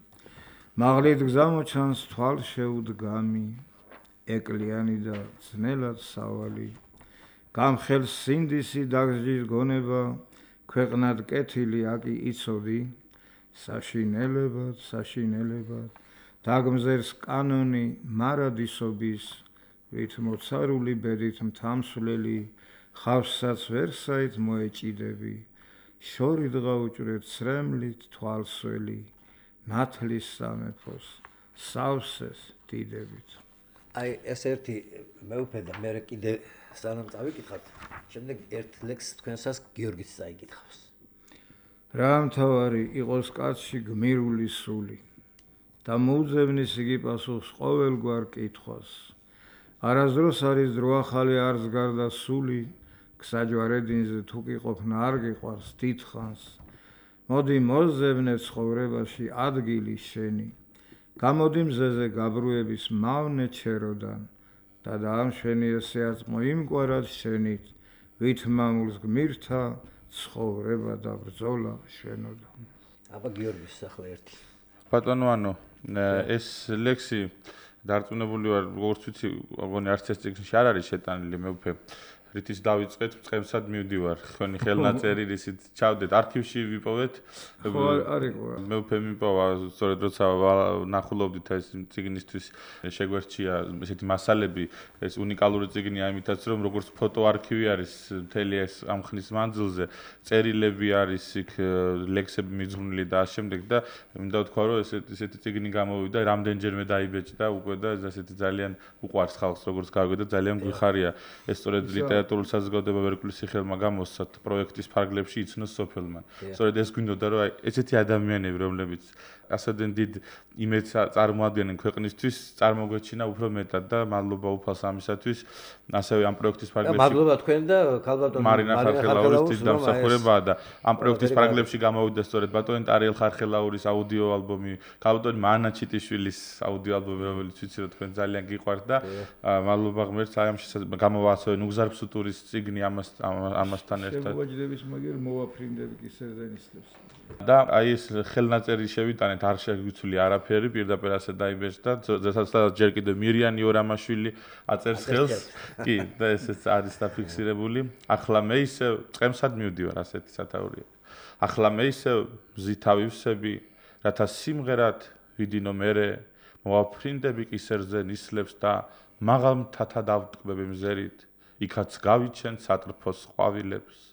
მაღლით გზამოჩანს თვალ შეუდგამი, ეკლიანი და ძნელად სავალი, გამხელს სინდისი დაგზის გონება, ქვეყნად კეთილი აკი იცოდი, საშინელებად, დაგმზერს კანონი მარადისობის, ვით მოცარული ბედით მთამსვლელი, ხავსსაც ვერსაით მოეჭიდები, შორი დღა უჭრეთ ცრემლით თვალსველი, ნათლის სამეფოს, სავსეს დიდებით. აი ეს ერთი მეუფე და მე კიდე სანამ წავიკითხავთ, შემდეგ ერთ ლექსს თქვენსაც გიორგის წაიკითხავს. რა მთავარი იყოს კაცში გმირული სული და მოუძებნის იგი პასუხს ყოველგვარ კითხვას. არასდროს არის დრო ახალი არც გარდა სული, გსაჯვარედინზე თუ კი ყოფნა არ გიყვარს დიდხანს. მოდი მოძებნე ცხოვრებაში ადგილი შენი, გამოდი მზეზე გაბრუების მავნე ჩეროდან და დაამშვენი ესეაც მოიმკვარად შენით, ვით მამულს გმირთა ცხოვრება და ბრძოლა შვენოდა. აბა გიორგის ახლა ერთი. ბატონო, ანუ ეს ლექსი დარწმუნებული ვარ, როგორც ვიცი, მგონი არც ეს წიგნში არ არის შეტანილი, მეუფე რითიც დავიწყეთ, წემსად მივდივარ, თქვენი ხელნაწერი რისით ჩავდეთ, არქივში ვიპოვეთ. მეუფე მიპოვა, სწორედ როცა ნახულობდით ეს წიგნისთვის შეგვერჩია ესეთი მასალები, ეს უნიკალური წიგნი ამითაც, რომ როგორც ფოტო არქივი არის მთელი ეს ამ ხნის მანძილზე, წერილები არის იქ, ლექსები მიძღვნილი და ამ შემდეგ და მინდა ვთქვა, რომ ესეთი წიგნი გამოვიდა, რამდენჯერმე დაიბეჭდა უკვე და ესეთი ძალიან უყვარს ხალხს, როგორც გავიგე და ძალიან გვიხარია ეს სწორედ ლიტერატურული საზოგადოება ვერკვლის სახელმა გამოსცა პროექტის ფარგლებში იცნოს სოფელმან. სწორედ ეს გვინდოდა რომ ესეთი ადამიანები რომლებიც ასეთენ დიდ იმედს წარმოადგენენ ქვეყნისთვის წარმოგვეჩინა უფრო მეტად და მადლობა უფალს ამისათვის ასევე ამ პროექტის ფარგლებში მადლობა თქვენ და ქალბატონ მარინა ხარხელაურის დიდ დამსახურებაა და ამ პროექტის ფარგლებში გამოვიდა სწორედ ბატონი ტარიელ ხარხელაურის აუდიო ალბომი ქალბატონი მანა ჩიტიშვილის აუდიო ალბომი რომელიც ვიცი რომ თქვენ ძალიან გიყვართ და მადლობა ღმერთს აი ამ გამოვაცოვენ უგზარფსუტურის წიგნი ამასთან ერთად შემოვაჯდების მაგერ მოვაფრინდები კი სერდენისტებს და აი ეს ხელნაწერი შევიტანეთ არ შეგვიცვლი არაფერი პირდაპირ ასე დაიბეჭდა სადაც ჯერ კიდევ მირიანი ორამაშვილი აწერს ხელს კი და ესეც არის დაფიქსირებული ახლა მე ისევ წემსად მივდივარ ასეთი სათაურია ახლა მე ისევ მზითავივსები რათა სიმღერად ვიდინო მერე მოვაფრინდები კისერზე ნისლებს და მაღალ მთათა დავტკბები მზერით იქაც გავიჩენ სატრფოს ყვავილებს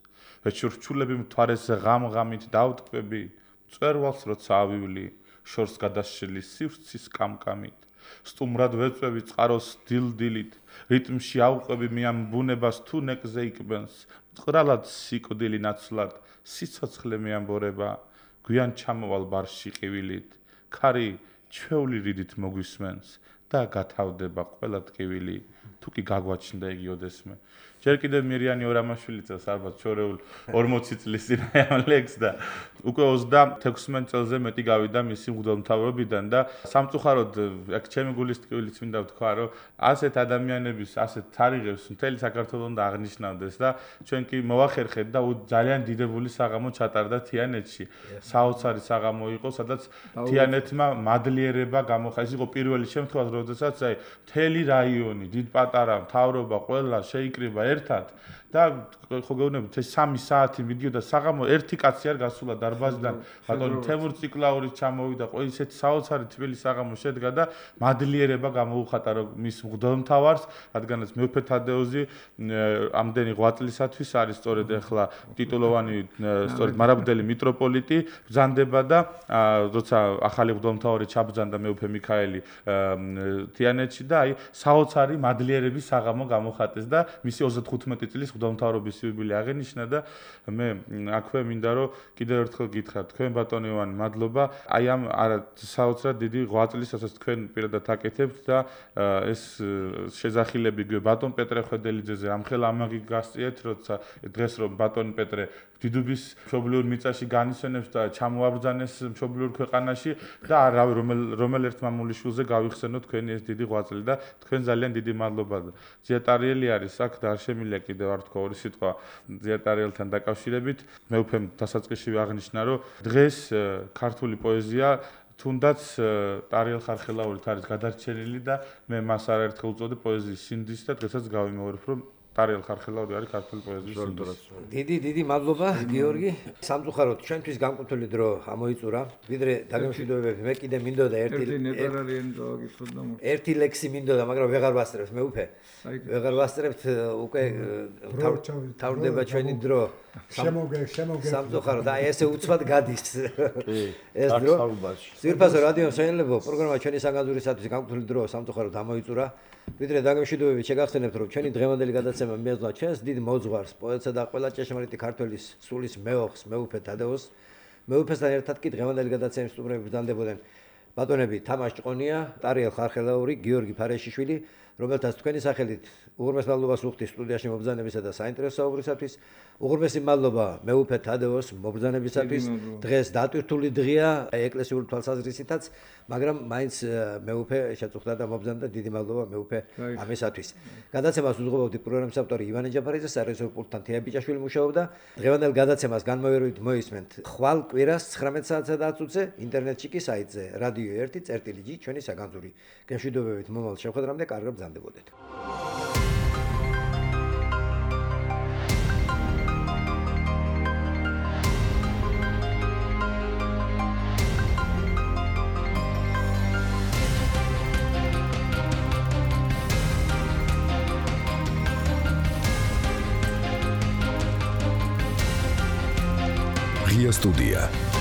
ვეჩურჩულები მთვარეზე ღამ-ღამით დავტკბები მწვერვალს როცა ავივლი შორს გადასშლი სივრცის კამკამით სტუმრად ვეწვევი წყაროს დილ-დილით რიტმში ავყვები მიან ბუნებას თუ ნეკზე იკბენს მწყრალად სიკვდილი ნაცვლად სიცოცხლე მეამბორება გვიან ჩამოვალ ბარში ყივილით ქარი ჩვეული რიდით მოგვისმენს და გათავდება ყველა ტკივილი თუ კი გაგვაჩნდა იგი ოდესმე ჯერ კიდევ მირიანი ორამაშვილი წელს ალბათ ჩორეულ 40 წლის წინ ამ ლექს და უკვე 26 წელზე მეტი გავიდა მისი მღვდელმთავრობიდან და სამწუხაროდ აქ ჩემი გულის ტკივილიც მინდა ვთქვა რომ ასეთ ადამიანების ასეთ თარიღებს მთელი საქართველოს უნდა აღნიშნავდეს და ჩვენ კი მოვახერხეთ და ძალიან დიდებული საღამო ჩატარდა თიანეთში საოცარი საღამო იყო სადაც თიანეთმა მადლიერება გამოხატა ეს იყო პირველი შემთხვევა როდესაც აი მთელი რაიონი დიდ პატარა მთავრობა ყველა შეიკრიბა ერთად და ხო გეუბნებით ეს 3 საათი მიდიოდა საღამო ერთი კაცი არ გასულა დარბაზიდან ბატონი თემურ ციკლაური ჩამოვიდა ყველა ისეთი საოცარი თბილი საღამო შედგა და მადლიერება გამოუხატა რომ მის მღვდელმთავარს რადგანაც მეუფე თადეოზი ამდენი ღვაწლისათვის არის სწორედ ახლა ტიტულოვანი სწორედ მარაბუდელი მიტროპოლიტი ბრძანდება და როცა ახალი მღვდელმთავარი ჩაბრძანდა მეუფე მიქაელი თიანეთში და აი საოცარი მადლიერების საღამო გამოხატეს და მისი 35 წლის მღვდელმთავრობის იუბილე აღენიშნა და მე აქვე მინდა რომ კიდევ ერთხელ გითხრათ თქვენ ბატონო ივანი მადლობა აი ამ საოცრად დიდი ღვაწლის რასაც თქვენ პირადად აკეთებთ და ეს შეძახილები ბატონ პეტრე ხვედელიძეზე ამხელა ამაგი გასწიეთ როცა დღეს რომ ბატონ პეტრე დიდუბის მშობლიურ მიწაში განისვენებს და ჩამოაბრძანეს მშობლიურ ქვეყანაში და რავი რომელ ერთ მამულიშვილზე გავიხსენოთ თქვენი ეს დიდი ღვაწლი და თქვენ ძალიან დიდი მადლობა ზიატარიელი არის აქ და არ შემიძლია კიდევ არ თქვა ორი სიტყვა ზიატარიელთან დაკავშირებით მეუფემ დასაწყისში აღნიშნა რომ დღეს ქართული პოეზია თუნდაც ტარიელ ხარხელაურით არის გადარჩენილი და მე მას არაერთხელ უწოდე პოეზიის სინდის და დღესაც გავიმეორებ რომ ტარიელ ხარხელაური არის ქართული პოეზიის სინდის. დიდი მადლობა გიორგი. სამწუხაროდ ჩვენთვის გამკუთვნილი დრო ამოიწურა. ვიდრე დაგემშვიდობებები მე კიდე მინდოდა ერთი ლექსი მინდოდა, მაგრამ ვეღარ ვასწრებთ მე უფე. ვეღარ ვასწრებთ უკვე თავდება ჩვენი დრო. სამწუხაროდ აი ესე უცბად გადის ეს დრო. ძირფასო რადიო მსმენელებო, პროგრამა ჩვენი საგანძურისათვის გამკუთვნილი დრო სამწუხაროდ ამოიწურა. ვიდრე დაგემშვიდობებით შეგახსენებთ რომ ჩვენი დღევანდელი გადაცემა მიეძღვნა ჩვენს დიდ მოძღვარს პოეტსა და ყველა ჭეშმარიტი ქართველის სულის მეოხს მეუფე თადეოს მეუფესთან ერთად კი დღევანდელი გადაცემის სტუმრები ბრძანდებოდნენ ბატონები თამაშ ჭყონია ტარიელ ხარხელაური გიორგი ფარეშიშვილი რომელთაც თქვენი სახელით უღრმეს მადლობას ვუხდი სტუდიაში მობრძანებისა და საინტერესო საუბრისათვის უღრმესი მადლობა მეუფე თადეოს მობრძანებისათვის დღეს დატვირთული დღეა ეკლესიური თვალსაზრისითაც მაგრამ მაინც მეუფე შეწუხდა და მობრძანდა დიდი მადლობა მეუფე ამისათვის გადაცემას უძღვებოდი პროგრამის ავტორი ივანე ჯაფარიძე სარეჟისორო პულტთან თეა ბიჭაშვილი მუშაობდა დღევანდელ გადაცემას განმოვიაროთ მოისმენთ ხვალ კვირას 19 საათსა და 10 წუთზე ინტერნეტში კი საიტზე რადიო 1.წერტილი ჩვენი საგანძური გემშვიდობებით მომავალ შეხვედრამდე კარგად ბრძანდებოდეთ Студия.